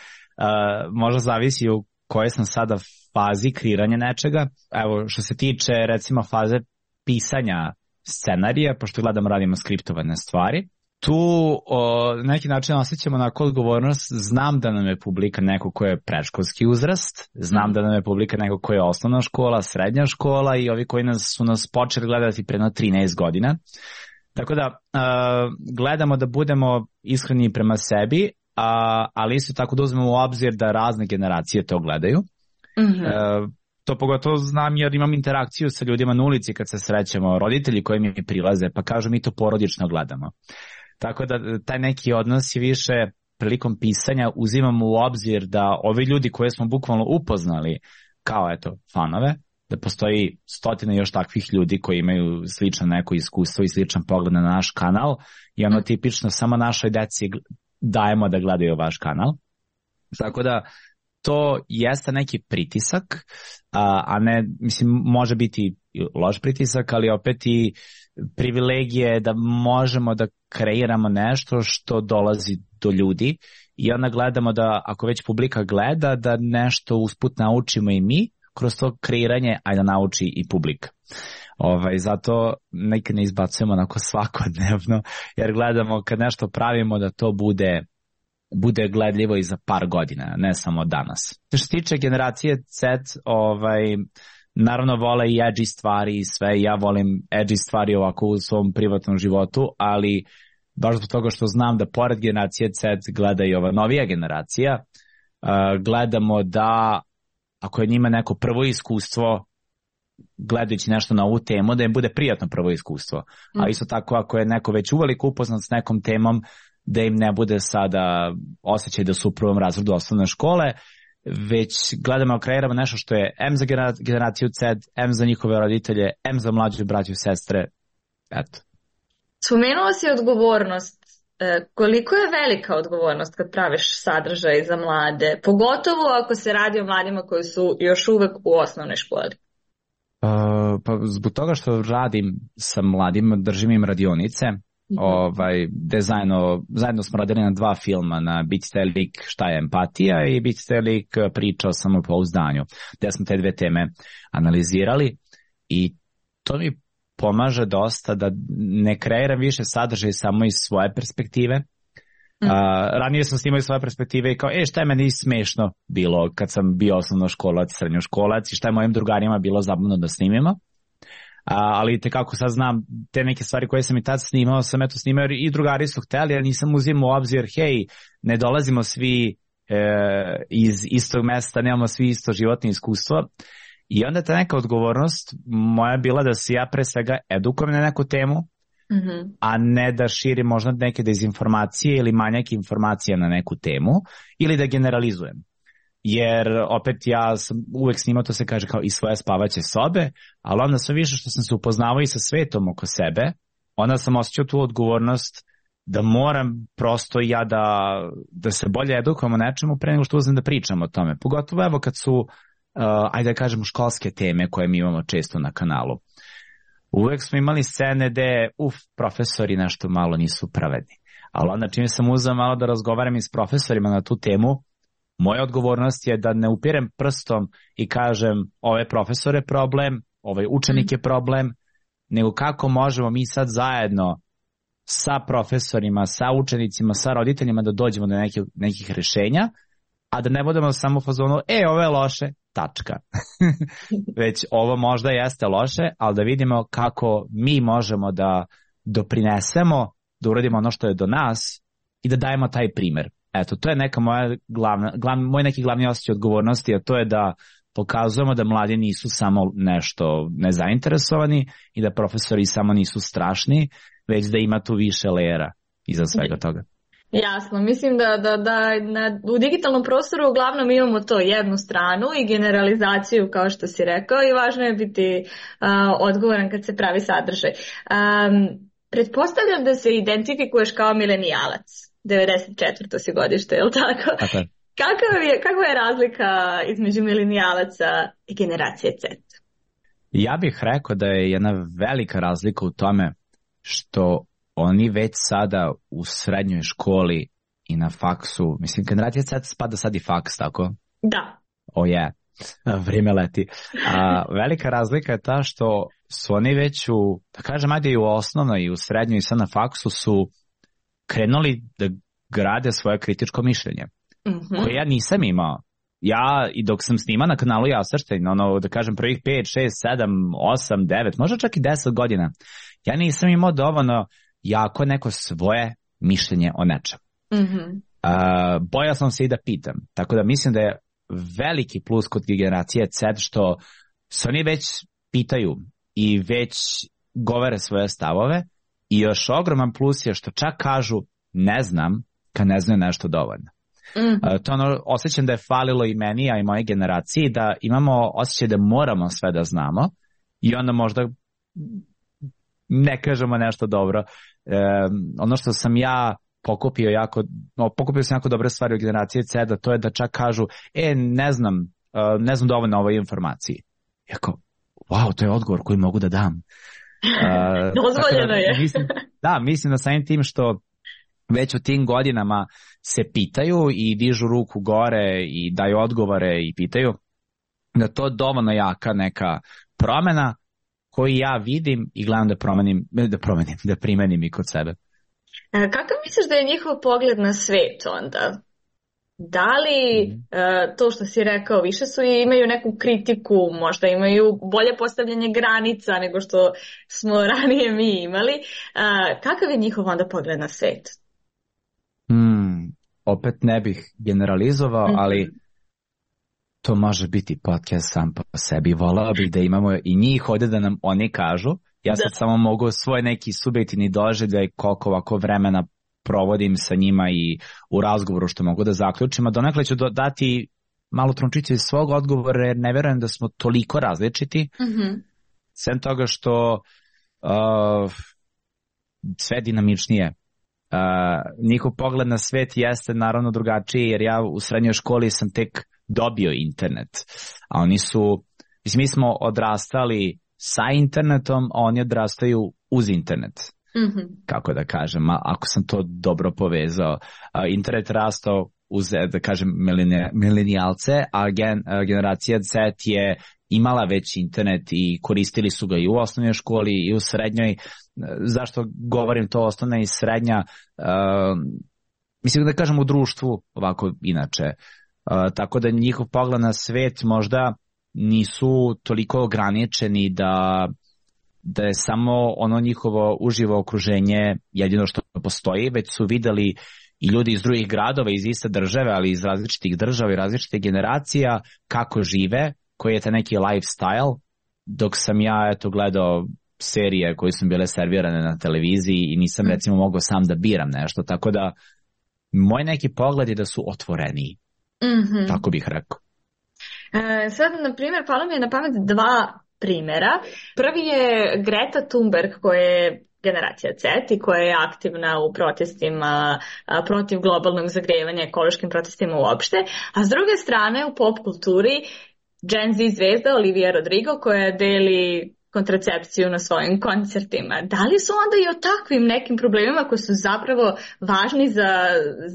Možda zavisi u kojoj sam sada fazi kreiranja nečega. Evo, što se tiče recimo faze pisanja scenarija, pošto gledamo radimo skriptovane stvari, tu na neki način osjećamo onako odgovornost. Znam da nam je publika neko ko je predškolski uzrast, znam da nam je publika neko ko je osnovna škola, srednja škola i ovi koji su nas počeli gledati pre 13 godina. Tako da gledamo da budemo iskreni prema sebi, ali isto tako da uzmemo u obzir da razne generacije to gledaju. To pogotovo znam jer imam interakciju sa ljudima na ulici kad se srećemo, roditelji koji mi prilaze pa kažu mi to porodično gledamo. Tako da taj neki odnos je više prilikom pisanja uzimamo u obzir da ovi ljudi koje smo bukvalno upoznali kao fanove, da postoji stotine još takvih ljudi koji imaju slično neko iskustvo i sličan pogled na naš kanal i tipično samo našoj deci dajemo da gledaju vaš kanal. Tako da to jeste neki pritisak, a ne, mislim, može biti loš pritisak, ali opet i privilegije da možemo da kreiramo nešto što dolazi do ljudi i onda gledamo da ako već publika gleda da nešto usput naučimo i mi kroz to kreiranje, a da nauči i publika. Zato nekad ne izbacujemo onako svakodnevno jer gledamo kad nešto pravimo da to bude gledljivo i za par godina, ne samo danas. Što se tiče generacije Z, naravno vole i edgy stvari i sve, ja volim edgy stvari ovako u svom privatnom životu, ali baš zbog toga što znam da pored generacije Z gleda i ova novija generacija, gledamo da ako je njima neko prvo iskustvo gledajući nešto na ovu temu, da im bude prijatno prvo iskustvo. A isto tako ako je neko već uveliko upoznat s nekom temom, da im ne bude sada osjećaj da su u prvom razredu osnovne škole, već gledamo, kreiramo nešto što je M za generaciju Z, M za njihove roditelje, M za mlađe braće i sestre. Eto. Spomenuo si odgovornost. Koliko je velika odgovornost kad praviš sadržaj za mlade, pogotovo ako se radi o mladima koji su još uvek u osnovnoj školi? Pa zbog toga što radim sa mladima, držim im radionice, zajedno smo radili na 2 filma, na Bicite lik šta je empatija i Bicite lik priča o samopouzdanju, gde smo te 2 teme analizirali i to mi pomaže dosta da ne kreiram više sadržaj samo iz svoje perspektive. Ranije sam snimao iz svoje perspektive i kao, šta je meni smešno bilo kad sam bio osnovnoškolac, srednjoškolac i šta je mojim drugarima bilo zabavno da snimimo. Ali kako sad znam te neke stvari koje sam i tad snimao, sam eto snimao i drugari su hteli, ali nisam uzimao u obzir, ne dolazimo svi iz istog mesta, nemamo svi isto životno iskustvo. I onda ta neka odgovornost moja bila da se ja pre svega edukujem na neku temu, a ne da širim možda neke dezinformacije ili manjak informacija na neku temu ili da generalizujem. Jer opet ja sam uvek snimao, to se kaže kao iz svoje spavaće sobe, ali onda sve više što sam se upoznavao i sa svetom oko sebe, onda sam osjećao tu odgovornost da moram prosto ja da se bolje edukujem o nečemu pre nego što uzem da pričam o tome. Pogotovo evo kad su ajde da kažemo školske teme koje mi imamo često na kanalu. Uvek smo imali scene gde profesori nešto malo nisu pravedni. Ali onda čim sam uzeo malo da razgovaram i s profesorima na tu temu, moja odgovornost je da ne upirem prstom i kažem ovaj profesor je problem, ovaj učenik je problem, nego kako možemo mi sad zajedno sa profesorima, sa učenicima, sa roditeljima da dođemo do nekih rešenja, a da ne budemo samo u fazonu, ovo je loše, tačka. Već ovo možda jeste loše, ali da vidimo kako mi možemo da doprinesemo, da uradimo ono što je do nas i da dajemo taj primer. Eto, to je neka moj neki glavni osjećaj odgovornosti, a to je da pokazujemo da mladi nisu samo nešto nezainteresovani i da profesori samo nisu strašni, već da ima tu više lejera iza svega toga. Jasno, mislim da u digitalnom prostoru uglavnom imamo to jednu stranu i generalizaciju kao što si rekao i važno je biti odgovoran kad se pravi sadržaj. Pretpostavljam da se identifikuješ kao milenijalac, 94. si godište, je li tako? Okay. Kakva je razlika između milenijalaca i generacije Z? Ja bih rekao da je jedna velika razlika u tome što oni već sada u srednjoj školi i na faksu, mislim, generacija Z spada sad i faks, tako? Da. Vrijeme leti. Velika razlika je ta što su oni već da kažem, ajde i u osnovnoj i u srednjoj i sad na faksu su krenuli da grade svoje kritičko mišljenje, koje ja nisam imao. Ja, i dok sam snima na kanalu Jasrštajn, da kažem, prvih 5, 6, 7, 8, 9, možda čak i 10 godina, ja nisam imao dovoljno jako neko svoje mišljenje o nečem. Bojao sam se i da pitam. Tako da mislim da je veliki plus kod generacije Z što se oni već pitaju i već govore svoje stavove i još ogroman plus je što čak kažu ne znam kad ne znaju nešto dovoljno. To osjećam da je falilo i meni, a i moje generaciji, da imamo osjećaj da moramo sve da znamo i onda možda ne kažemo nešto dobro. Ono što sam ja pokupio sam jako dobre stvari u generaciji Z, da to je da čak kažu ne znam dovoljno o ovoj informaciji. Jako, wow, to je odgovor koji mogu da dam. Dozvoljeno je. Mislim da samim tim što već u tim godinama se pitaju i dižu ruku gore i daju odgovore i pitaju, da to je dovoljno jaka neka promena koju ja vidim i gledam da primenim i kod sebe. Kakav misliš da je njihov pogled na svet onda? Da li to što si rekao, više imaju neku kritiku, možda imaju bolje postavljanje granica nego što smo ranije mi imali. Kakav je njihov onda pogled na svet? Opet ne bih generalizovao, ali to može biti podcast sam po sebi. Volao bih da imamo i njih ovdje da nam oni kažu. Ja sad samo mogu svoj neki subjektivni doživljaj koliko ovako vremena provodim sa njima i u razgovoru što mogu da zaključim, a donekle ću dati malo trunčicu iz svog odgovora jer ne verujem da smo toliko različiti. Sem toga što sve dinamičnije. Njihov pogled na svet jeste naravno drugačiji, jer ja u srednjoj školi sam tek dobio internet, a oni su, mi smo odrastali sa internetom, a oni odrastaju uz internet. Kako da kažem, ako sam to dobro povezao. Internet rastao uz, da kažem, milenijalce, a generacija Z je imala već internet i koristili su ga i u osnovnoj školi i u srednjoj. Zašto govorim to osnovna i srednja? Mislim da kažem u društvu ovako inače. Tako da njihov pogled na svet možda nisu toliko ograničeni da je samo ono njihovo uživo okruženje jedino što postoji, već su videli i ljudi iz drugih gradova, iz iste države, ali iz različitih država i različitih generacija, kako žive, koji je taj neki lifestyle, dok sam ja gledao serije koje su bile servirane na televiziji i nisam recimo mogao sam da biram nešto, tako da moj neki pogled je da su otvoreniji, tako bih rekao. Sad, na primjer, palo mi je na pamet dva primjera. Prvi je Greta Thunberg, koja je generacija Z i koja je aktivna u protestima protiv globalnog zagrevanja, ekološkim protestima uopšte, a s druge strane u pop kulturi Gen Z zvezda Olivia Rodrigo koja deli kontracepciju na svojim koncertima. Da li su onda i o takvim nekim problemima koji su zapravo važni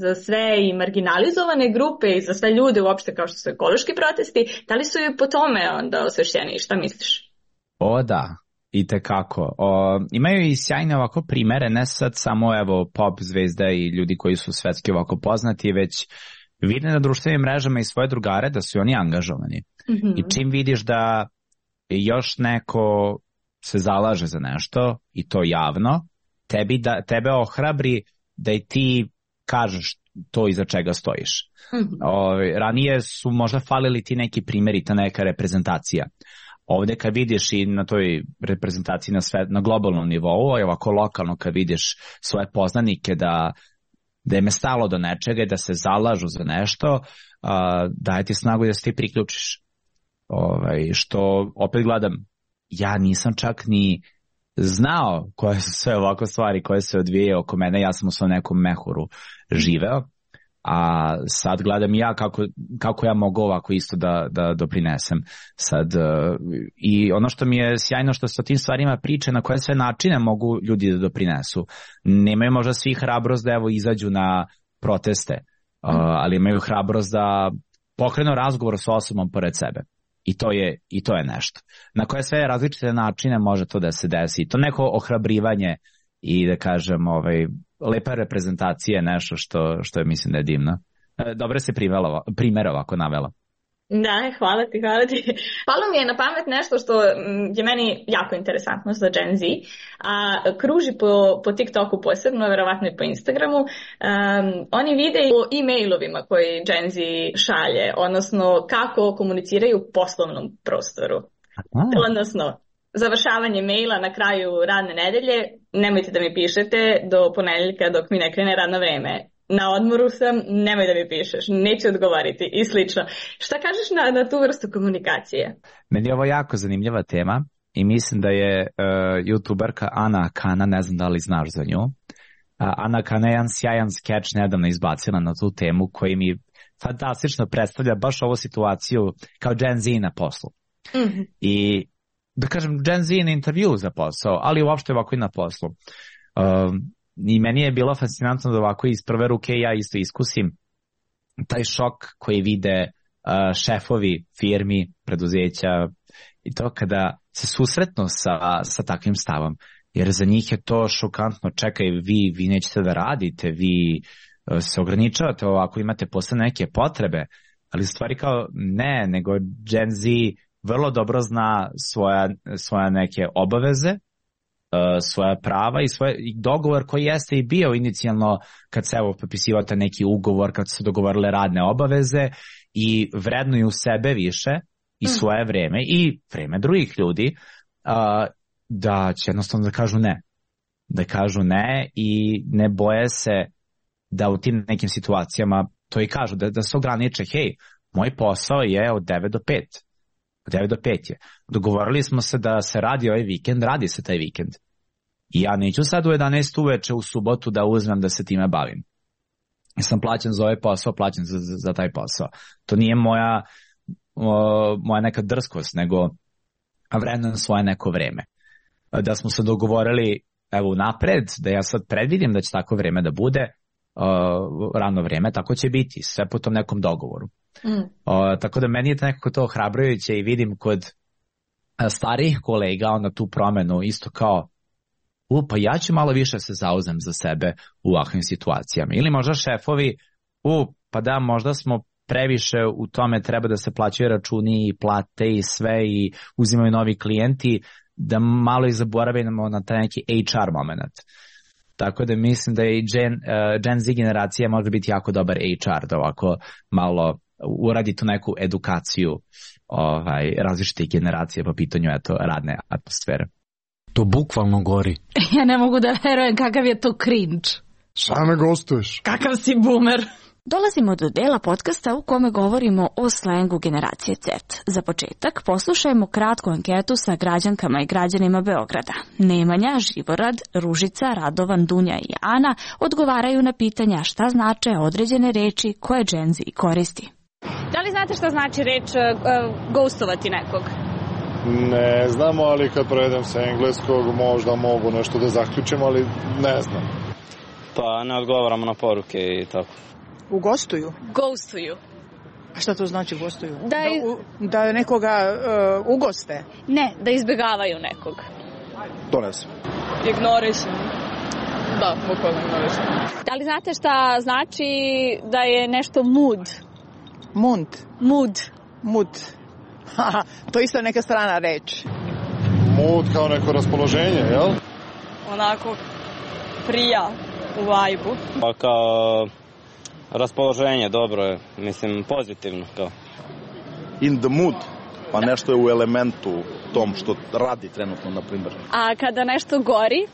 za sve i marginalizovane grupe i za sve ljude uopšte kao što su ekološki protesti, da li su i po tome onda osvešćeni? Šta misliš? O da, itekako. Imaju i sjajne ovako primere, ne sad samo pop zvezda i ljudi koji su svetski ovako poznati, već vide na društvenim mrežama i svoje drugare da su oni angažovani. I čim vidiš da još neko se zalaže za nešto i to javno, tebe ohrabri da i ti kažeš to iza čega stojiš. Ranije su možda falili ti neki primjeri, ta neka reprezentacija. Ovdje kad vidiš i na toj reprezentaciji na globalnom nivou, ovako lokalno kad vidiš svoje poznanike da im je stalo do nečega, da se zalažu za nešto, daje ti snagu da se ti priključiš. Što opet gledam, ja nisam čak ni znao koje su sve ovako stvari koje se odvijaju oko mene, ja sam u svom nekom mehuru živeo, a sad gledam ja kako ja mogu ovako isto da doprinesem sad. I ono što mi je sjajno što se o tim stvarima priče, na koje sve načine mogu ljudi da doprinesu. Nemaju možda svi hrabrost da izađu na proteste, ali imaju hrabrost da pokrenu razgovor sa osobom pored sebe. I to je nešto. Na koje sve različite načine može to da se desi. To neko ohrabrivanje i da kažem lepa reprezentacija je nešto što je mislim da je divno. Dobro se primjer ovako navela. Da, hvala ti. Palo mi je na pamet nešto što je meni jako interesantno za Gen Z, a kruži po TikToku posebno, verovatno i po Instagramu. Oni vide o e-mailovima koji Gen Z šalje, odnosno kako komuniciraju u poslovnom prostoru. Odnosno, završavanje maila na kraju radne nedelje, nemojte da mi pišete do ponedeljka dok mi ne krene radno vreme. Na odmoru sam, nemoj da mi pišeš, neću odgovoriti i slično. Šta kažeš na tu vrstu komunikacije? Meni je ovo jako zanimljiva tema i mislim da je youtuberka Ana Kana, ne znam da li znaš za nju. Ana Kana je jedan sjajan skeč nedavno izbacila na tu temu koji mi fantastično predstavlja baš ovu situaciju kao Gen Z na poslu. I da kažem Gen Z na intervju za posao, ali uopšte ovako i na poslu. I meni je bilo fascinantno da ovako iz prve ruke ja isto iskusim taj šok koji vide šefovi firmi, preduzeća i to kada se susretnu sa takvim stavom. Jer za njih je to šokantno. Čekaj, vi nećete da radite, vi se ograničavate ovako, imate posle neke potrebe, ali stvari kao ne, nego Gen Z vrlo dobro zna svoje neke obaveze, svoja prava i dogovor koji jeste i bio inicijalno kad se potpisivate neki ugovor, kad su dogovorile radne obaveze i vrednuju sebe više i svoje vreme i vreme drugih ljudi, da će jednostavno da kažu ne i ne boje se da u tim nekim situacijama to i kažu, da se ograniče, hej, moj posao je od 9 do 5. Od 9 do 5 je. Dogovorili smo se da se radi ovaj vikend, radi se taj vikend. I ja neću sad u 11 uveče u subotu da uzmem da se time bavim. Ja sam plaćen za ovaj posao, plaćen za taj posao. To nije moja neka drskost, nego vrednujem svoje neko vreme. Da smo se dogovorili evo napred, da ja sad predvidim da će tako vreme da bude, rano vreme, tako će biti, sve po tom nekom dogovoru. Tako da meni je nekako to ohrabrujuće i vidim kod starijih kolega onda tu promenu isto kao pa ja ću malo više se zauzem za sebe u ovakvim situacijama. Ili možda šefovi, pa da, možda smo previše u tome, treba da se plaćaju računi i plate i sve i uzimaju novi klijenti, da malo i zaboravimo na taj neki HR moment. Tako da mislim da i Gen Z generacija može biti jako dobar HR, da ovako malo uradi tu neku edukaciju različitih generacija po pitanju radne atmosfere. To bukvalno gori. Ja ne mogu da verujem kakav je to cringe. Šta me gostuješ? Kakav si boomer. Dolazimo do dela podcasta u kome govorimo o slengu generacije Z. Za početak poslušajmo kratku anketu sa građankama i građanima Beograda. Nemanja, Živorad, Ružica, Radovan, Dunja i Ana odgovaraju na pitanja šta znače određene reči koje Gen Z koristi. Da li znate šta znači reč ghostovati nekog? Ne znamo, ali kad prevedem sa engleskog možda mogu nešto da zaključim, ali ne znam. Pa ne odgovaramo na poruke i tako. U gostuju? Ghostuju. A šta to znači gostuju? Da nekoga ugoste? Ne, da izbjegavaju nekog. To ne znam. Ignorišu. Da, bukvalno ignorišu. Da li znate šta znači da je nešto mood? Mood. To isto neka strana reč. Mood kao neko raspoloženje, jel? Onako prija u vibe-u. Pa kao raspoloženje, dobro je, mislim pozitivno kao. In the mood, pa nešto je u elementu tom što radi trenutno, na primjer. A kada nešto gori?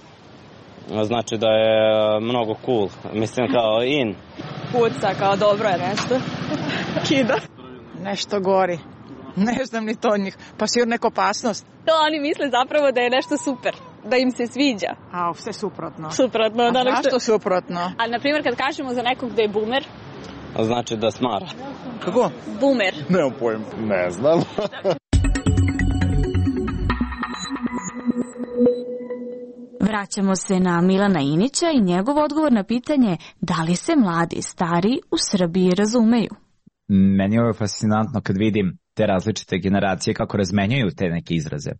Znači da je mnogo cool, mislim kao in. Puca, kao dobro je nešto. Kida. Nešto gori. Ne znam ni to od njih. Pa sigurno neka opasnost. To oni misle zapravo da je nešto super. Da im se sviđa. A, sve suprotno. Suprotno. A zašto suprotno? Ali, na primjer, kad kažemo za nekog da je boomer. Znači da smara. Kako? Boomer. Nemam pojem. Ne znam. Vraćamo se na Milana Inića i njegov odgovor na pitanje da li se mladi i stari u Srbiji razumeju. Meni je ovo fascinantno kad vidim te različite generacije kako razmenjaju te neke izraze.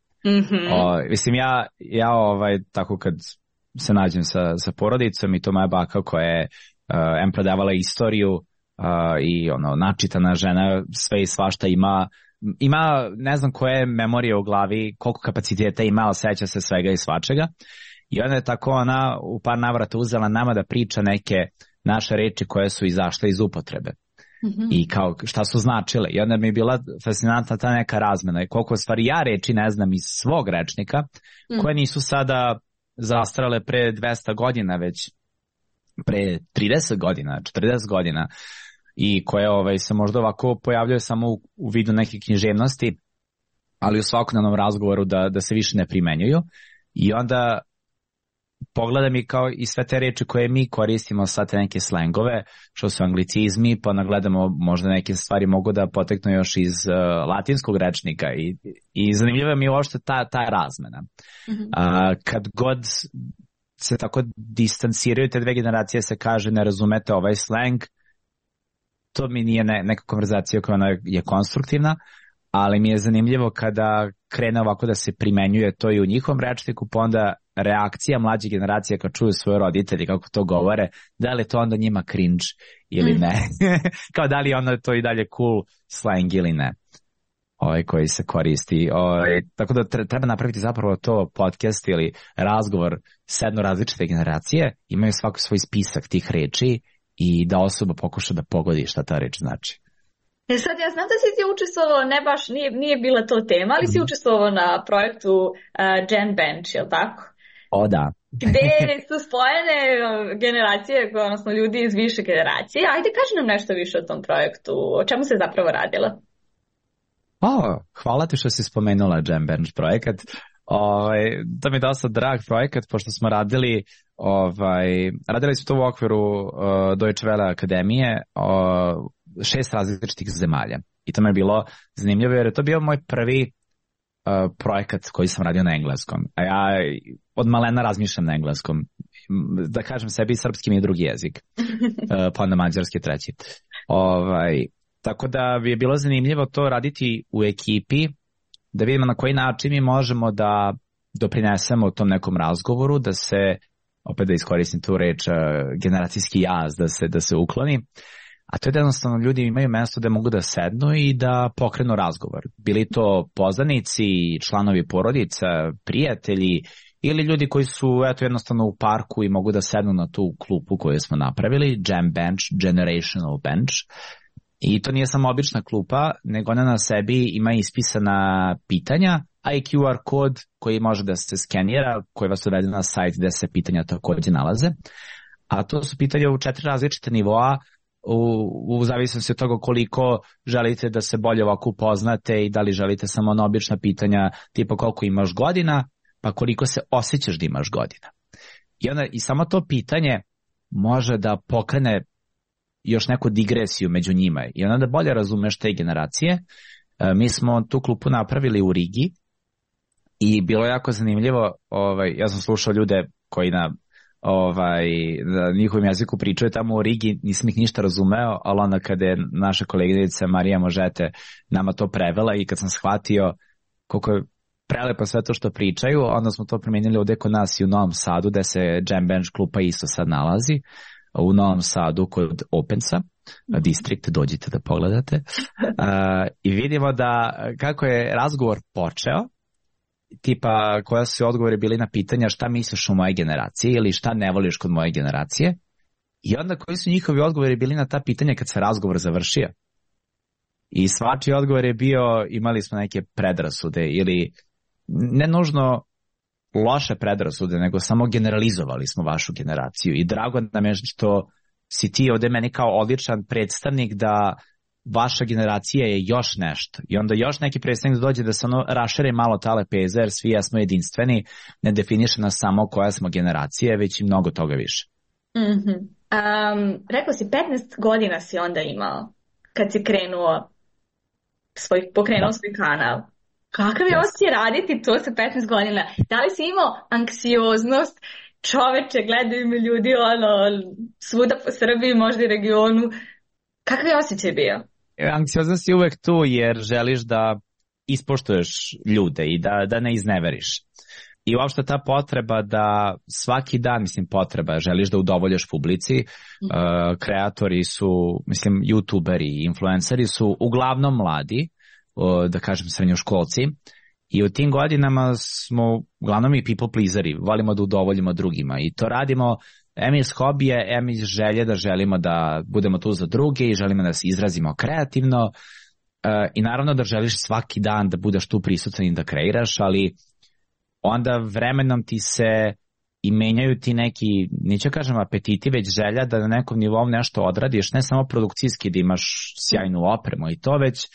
Mislim, ja tako kad se nađem sa porodicom i to moja baka koja je predavala istoriju i načitana žena, sve i svašta ima ne znam koje memorije u glavi, koliko kapaciteta ima, ali seća se svega i svačega. I onda je tako ona u par navrata uzela nama da priča neke naše reči koje su izašle iz upotrebe. I kao šta su značile. I onda mi je bila fascinantna ta neka razmena. I koliko stvari ja reči ne znam iz svog rečnika, koje nisu sada zastrale pre 200 godina, već pre 30 godina, 40 godina. I koje se možda ovako pojavljaju samo u vidu neke književnosti, ali u svakodnevnom razgovoru da se više ne primenjuju. I onda pogledam i kao i sve te reči koje mi koristimo, sad te neke slengove, što su anglicizmi, pa nagledamo možda neke stvari mogu da poteknu još iz latinskog rečnika i zanimljiva mi je uopšte ta razmena. Kad god se tako distanciraju te dve generacije, se kaže ne razumete ovaj sleng, to mi nije neka konverzacija koja je konstruktivna, ali mi je zanimljivo kada krene ovako da se primenjuje to i u njihovom rečniku, pa onda reakcija mlađe generacije kad čuju svoje roditelji kako to govore, da li je to onda njima cringe ili ne. Kao da li je onda to i dalje cool slang ili ne. Koji se koristi. Tako da treba napraviti zapravo to podcast ili razgovor s jedno različite generacije, imaju svako svoj spisak tih reči i da osoba pokuša da pogodi šta ta reč znači. Sad ja znam da si ti učestvovao, ne baš, nije bila to tema, ali si učestvovao na projektu Gen Bench, je li tako? O da. Gde su spojene generacije, odnosno ljudi iz više generacije. Ajde, kaži nam nešto više o tom projektu, o čemu se zapravo radilo? Hvala ti što si spomenula Gen Bench projekat. To mi je dosta drag projekat, pošto smo radili su to u okviru Deutsche Welle akademije 6 različitih zemalja. I to mi je bilo zanimljivo jer je to bio moj prvi projekat koji sam radio na engleskom. A ja od malena razmišljam na engleskom. Da kažem sebi, srpski mi je drugi jezik. Pa onda mađarski treći. Tako da bi je bilo zanimljivo to raditi u ekipi, da vidimo na koji način mi možemo da doprinesemo u tom nekom razgovoru, da se, opet da iskoristim tu reč, generacijski jaz da se ukloni. A to je da jednostavno ljudi imaju mesto da mogu da sednu i da pokrenu razgovor. Bili to poznanici, članovi porodica, prijatelji ili ljudi koji su jednostavno u parku i mogu da sednu na tu klupu koju smo napravili, Jam Bench, Generational Bench. I to nije samo obična klupa, nego ona na sebi ima ispisana pitanja, a i QR kod koji može da se skenira, koji vas uvede na sajt gde se pitanja takođe nalaze. A to su pitanja u 4 različite nivoa, u zavisnosti od toga koliko želite da se bolje ovako upoznate i da li želite samo ona obična pitanja tipa koliko imaš godina, pa koliko se osjećaš da imaš godina. I samo to pitanje može da pokrene još neku digresiju među njima i onda da bolje razumeš te generacije. Mi smo tu klupu napravili u Rigi i bilo je jako zanimljivo. Ja sam slušao ljude koji na njihovim jeziku pričaju tamo u Rigi, nisam ih ništa razumeo, ali onda kada je naša koleginica Marija Možete nama to prevela i kad sam shvatio koliko je prelepo sve to što pričaju, onda smo to promijenili ovdje kod nas i u Novom Sadu, gde se Jam Bench klupa isto sad nalazi, u Novom Sadu kod Opensa, District, dođite da pogledate. I vidimo da kako je razgovor počeo, tipa koja su odgovori bili na pitanja šta misliš o moje generaciji ili šta ne voliš kod moje generacije, i onda koji su njihovi odgovori bili na ta pitanja kad se razgovor završio. I svačiji odgovor je bio imali smo neke predrasude ili ne nužno loše predrasude, nego samo generalizovali smo vašu generaciju i drago nam je što si ti ovdje meni kao odličan predstavnik da vaša generacija je još nešto. I onda još neki predstavnik dođe da se rašere malo ta lepeza, jer svi jesmo jedinstveni, ne definiše nas samo koja smo generacija, već i mnogo toga više. Rekao si 15 godina si onda imao kad si pokrenuo svoj kanal. Kakav je osjećaj raditi to sa 15 godina? Da li si imao anksioznost? Čoveče, gledaju mi ljudi svuda po Srbiji, možda i regionu. Kakav je osjećaj bio? Anksioznost je uvek tu jer želiš da ispoštuješ ljude i da ne izneveriš. I uopšte ta potreba da svaki dan, želiš da udovoljaš publici, kreatori su, youtuberi i influenceri su uglavnom mladi, da kažem srednjoškolci, i u tim godinama smo uglavnom i people pleaseri, volimo da udovoljimo drugima i to radimo em iz hobija, em iz želje da želimo da budemo tu za druge i želimo da se izrazimo kreativno i naravno da želiš svaki dan da budeš tu prisutan i da kreiraš, ali onda vremenom ti se i menjaju ti neki, neću kažem apetiti, već želja da na nekom nivou nešto odradiš, ne samo produkcijski da imaš sjajnu opremu i to, već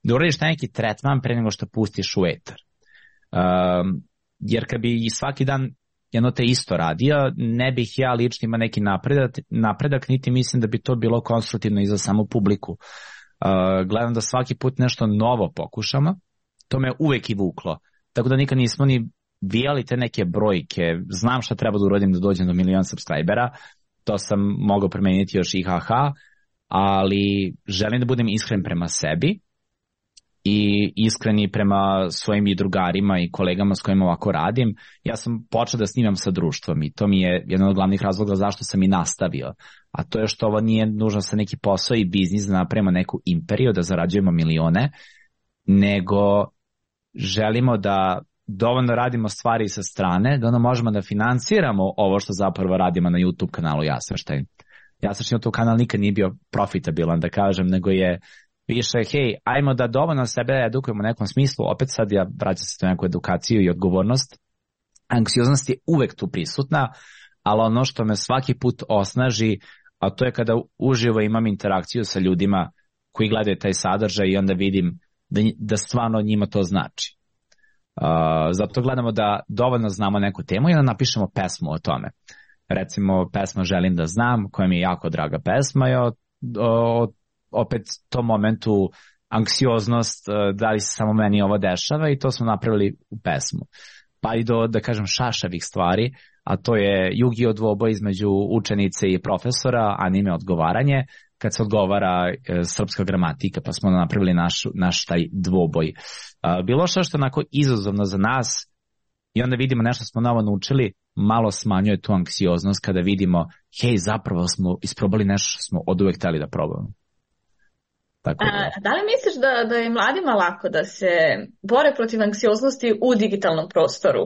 da uradiš neki tretman pre nego što pustiš u etar. Jer kad bi svaki dan jedno te isto radio, ne bih ja lično imao neki napredak, niti mislim da bi to bilo konstruktivno i za samu publiku. Gledam da svaki put nešto novo pokušamo, to me uvek i vuklo. Tako da nikad nismo ni vijali te neke brojke, znam šta treba da uradim da dođem do 1 milion subscribera, to sam mogao promeniti još i ali želim da budem iskren prema sebi i iskreni prema svojim i drugarima i kolegama s kojima ovako radim. Ja sam počeo da snimam sa društvom i to mi je jedan od glavnih razloga zašto sam i nastavio. A to je što ovo nije nužno sa neki posao i biznis da napravimo neku imperiju, da zarađujemo milione, nego želimo da dovoljno radimo stvari sa strane, da možemo da financiramo ovo što zapravo radimo na YouTube kanalu Jasvrštajn. Jasvrštajn YouTube kanal nikad nije bio profitabilan, da kažem, nego je više, hej, ajmo da dovoljno sebe edukujemo u nekom smislu, opet sad ja vraćam se to neku edukaciju i odgovornost. Anksioznost je uvek tu prisutna, ali ono što me svaki put osnaži, a to je kada uživo imam interakciju sa ljudima koji gledaju taj sadržaj i onda vidim da stvarno njima to znači. Zato gledamo da dovoljno znamo neku temu i da napišemo pesmu o tome. Recimo, pesma Želim da znam, koja mi je jako draga pesma, je opet tom momentu anksioznost, da li se samo meni ovo dešava, i to smo napravili u pesmu. Pa i do, da kažem, šašavih stvari, a to je Yu-Gi-Oh dvoboj između učenice i profesora, anime odgovaranje, kad se odgovara srpska gramatika, pa smo napravili naš taj dvoboj. Bilo što je onako izazovno za nas, i onda vidimo nešto smo novo naučili, malo smanjuje tu anksioznost kada vidimo, hej, zapravo smo isprobali nešto što smo oduvek hteli da probamo. Tako da li misliš da je mladima lako da se bore protiv anksioznosti u digitalnom prostoru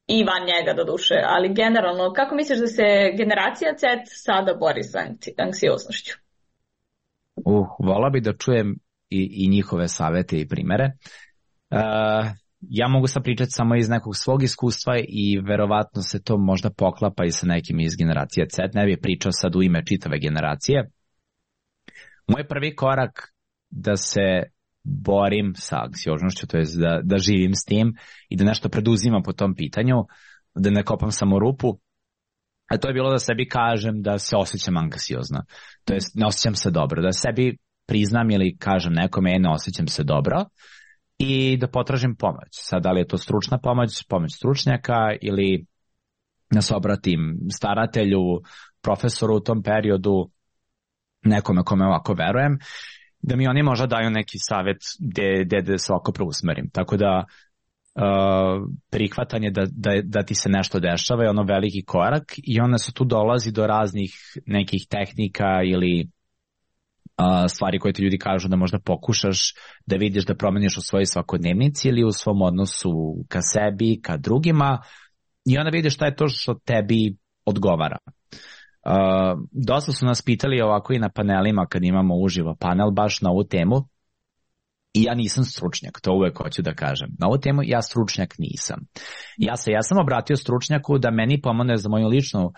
i van njega do duše, ali generalno, kako misliš da se generacija Z sada bori sa anksioznošću? Volao bi da čujem i njihove savete i primere. Ja mogu sad pričati samo iz nekog svog iskustva i verovatno se to možda poklapa i sa nekim iz generacije Z. Ne bih pričao sad u ime čitave generacije. Moj prvi korak da se borim sa anksioznošću, to je da živim s tim i da nešto preduzimam po tom pitanju, da ne kopam samo rupu, a to je bilo da sebi kažem da se osjećam anksiozno. To jest ne osjećam se dobro, da sebi priznam ili kažem nekome ne osjećam se dobro i da potražim pomoć. Sad, da li je to stručna pomoć stručnjaka ili da se obratim staratelju, profesoru u tom periodu, nekome kome ovako verujem, da mi oni možda daju neki savjet gde se ovako preusmerim. Tako da prihvatanje da ti se nešto dešava je ono veliki korak i onda se tu dolazi do raznih nekih tehnika ili stvari koje ti ljudi kažu da možda pokušaš da vidiš da promeniš u svojoj svakodnevnici ili u svom odnosu ka sebi, ka drugima i onda vidiš šta je to što tebi odgovara. Dosta su nas pitali ovako i na panelima kad imamo uživo panel baš na ovu temu i ja nisam stručnjak, to uvek hoću da kažem. Na ovu temu ja stručnjak nisam. Ja sam obratio stručnjaku da meni pomogne za moju ličnu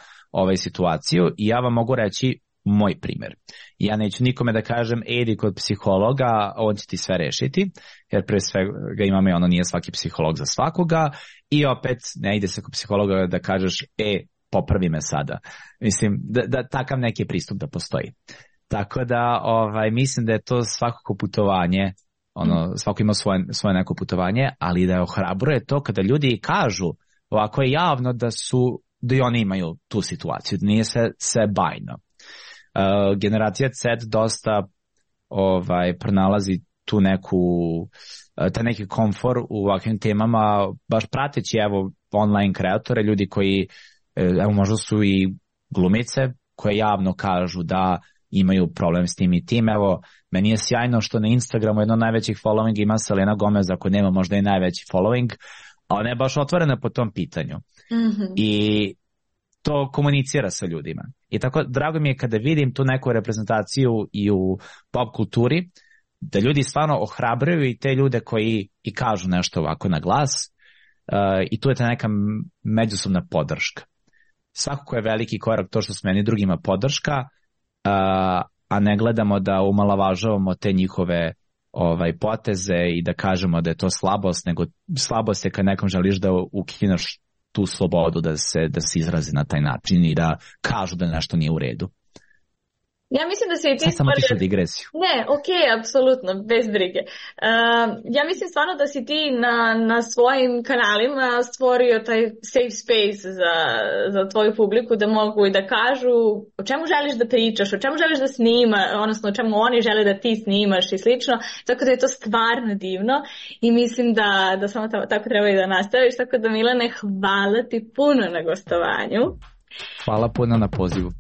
situaciju i ja vam mogu reći moj primjer. Ja neću nikome da kažem idi kod psihologa, on će ti sve rešiti, jer pre svega imamo ono nije svaki psiholog za svakoga i opet ne ide se kod psihologa da kažeš popravi me sada. Mislim da takav neki pristup da postoji. Tako da mislim da je to svakako putovanje, svako ima svoje neko putovanje, ali da ohrabruje to kada ljudi kažu ovako je javno da i oni imaju tu situaciju, da nije sve bajno. Generacija Z dosta pronalazi tu taj neki komfor u ovakvim temama, baš prateći online kreatore, ljudi koji možda su i glumice koje javno kažu da imaju problem s tim i tim. Meni je sjajno što na Instagramu jedno od najvećih following ima Selena Gomez, ako nema možda i najveći following, a ona je baš otvorena po tom pitanju. Mm-hmm. I to komunicira sa ljudima. I tako drago mi je kada vidim tu neku reprezentaciju i u pop kulturi, da ljudi stvarno ohrabruju i te ljude koji i kažu nešto ovako na glas i tu je ta neka međusobna podrška. Svakako je veliki korak to što smo meni drugima podrška, a ne gledamo da umalavažavamo te njihove poteze i da kažemo da je to slabost, nego slabost je kad nekom želiš da ukineš tu slobodu da se izrazi na taj način i da kažu da nešto nije u redu. Ja mislim da se i ti samo tišu digresiju. Ne, okej, apsolutno, bez brige. Ja mislim stvarno da si ti na svojim kanalima stvorio taj safe space za tvoju publiku da mogu i da kažu o čemu želiš da pričaš, o čemu želiš da snima, odnosno o čemu oni žele da ti snimaš i slično, tako da je to stvarno divno i mislim da samo tako treba i da nastaviš, tako da Milane, hvala ti puno na gostovanju. Hvala puno na pozivu.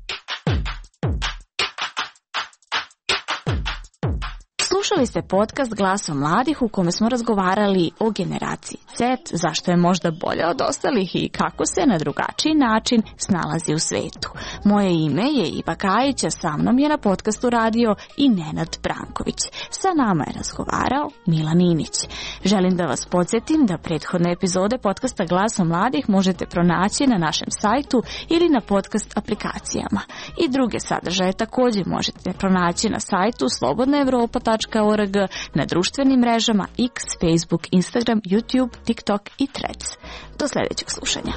Slušali ste podcast Glasom mladih u kome smo razgovarali o generaciji Z, zašto je možda bolja od ostalih i kako se na drugačiji način snalazi u svetu. Moje ime je Iva Kajić, a sa mnom je na podcastu radio i Nenad Branković. Sa nama je razgovarao Milan Inić. Želim da vas podsjetim da prethodne epizode podcasta Glasom mladih možete pronaći na našem sajtu ili na podcast aplikacijama. I druge sadržaje također možete pronaći na sajtu slobodnaevropa.org, na društvenim mrežama X, Facebook, Instagram, YouTube, TikTok i Threads. Do sljedećeg slušanja.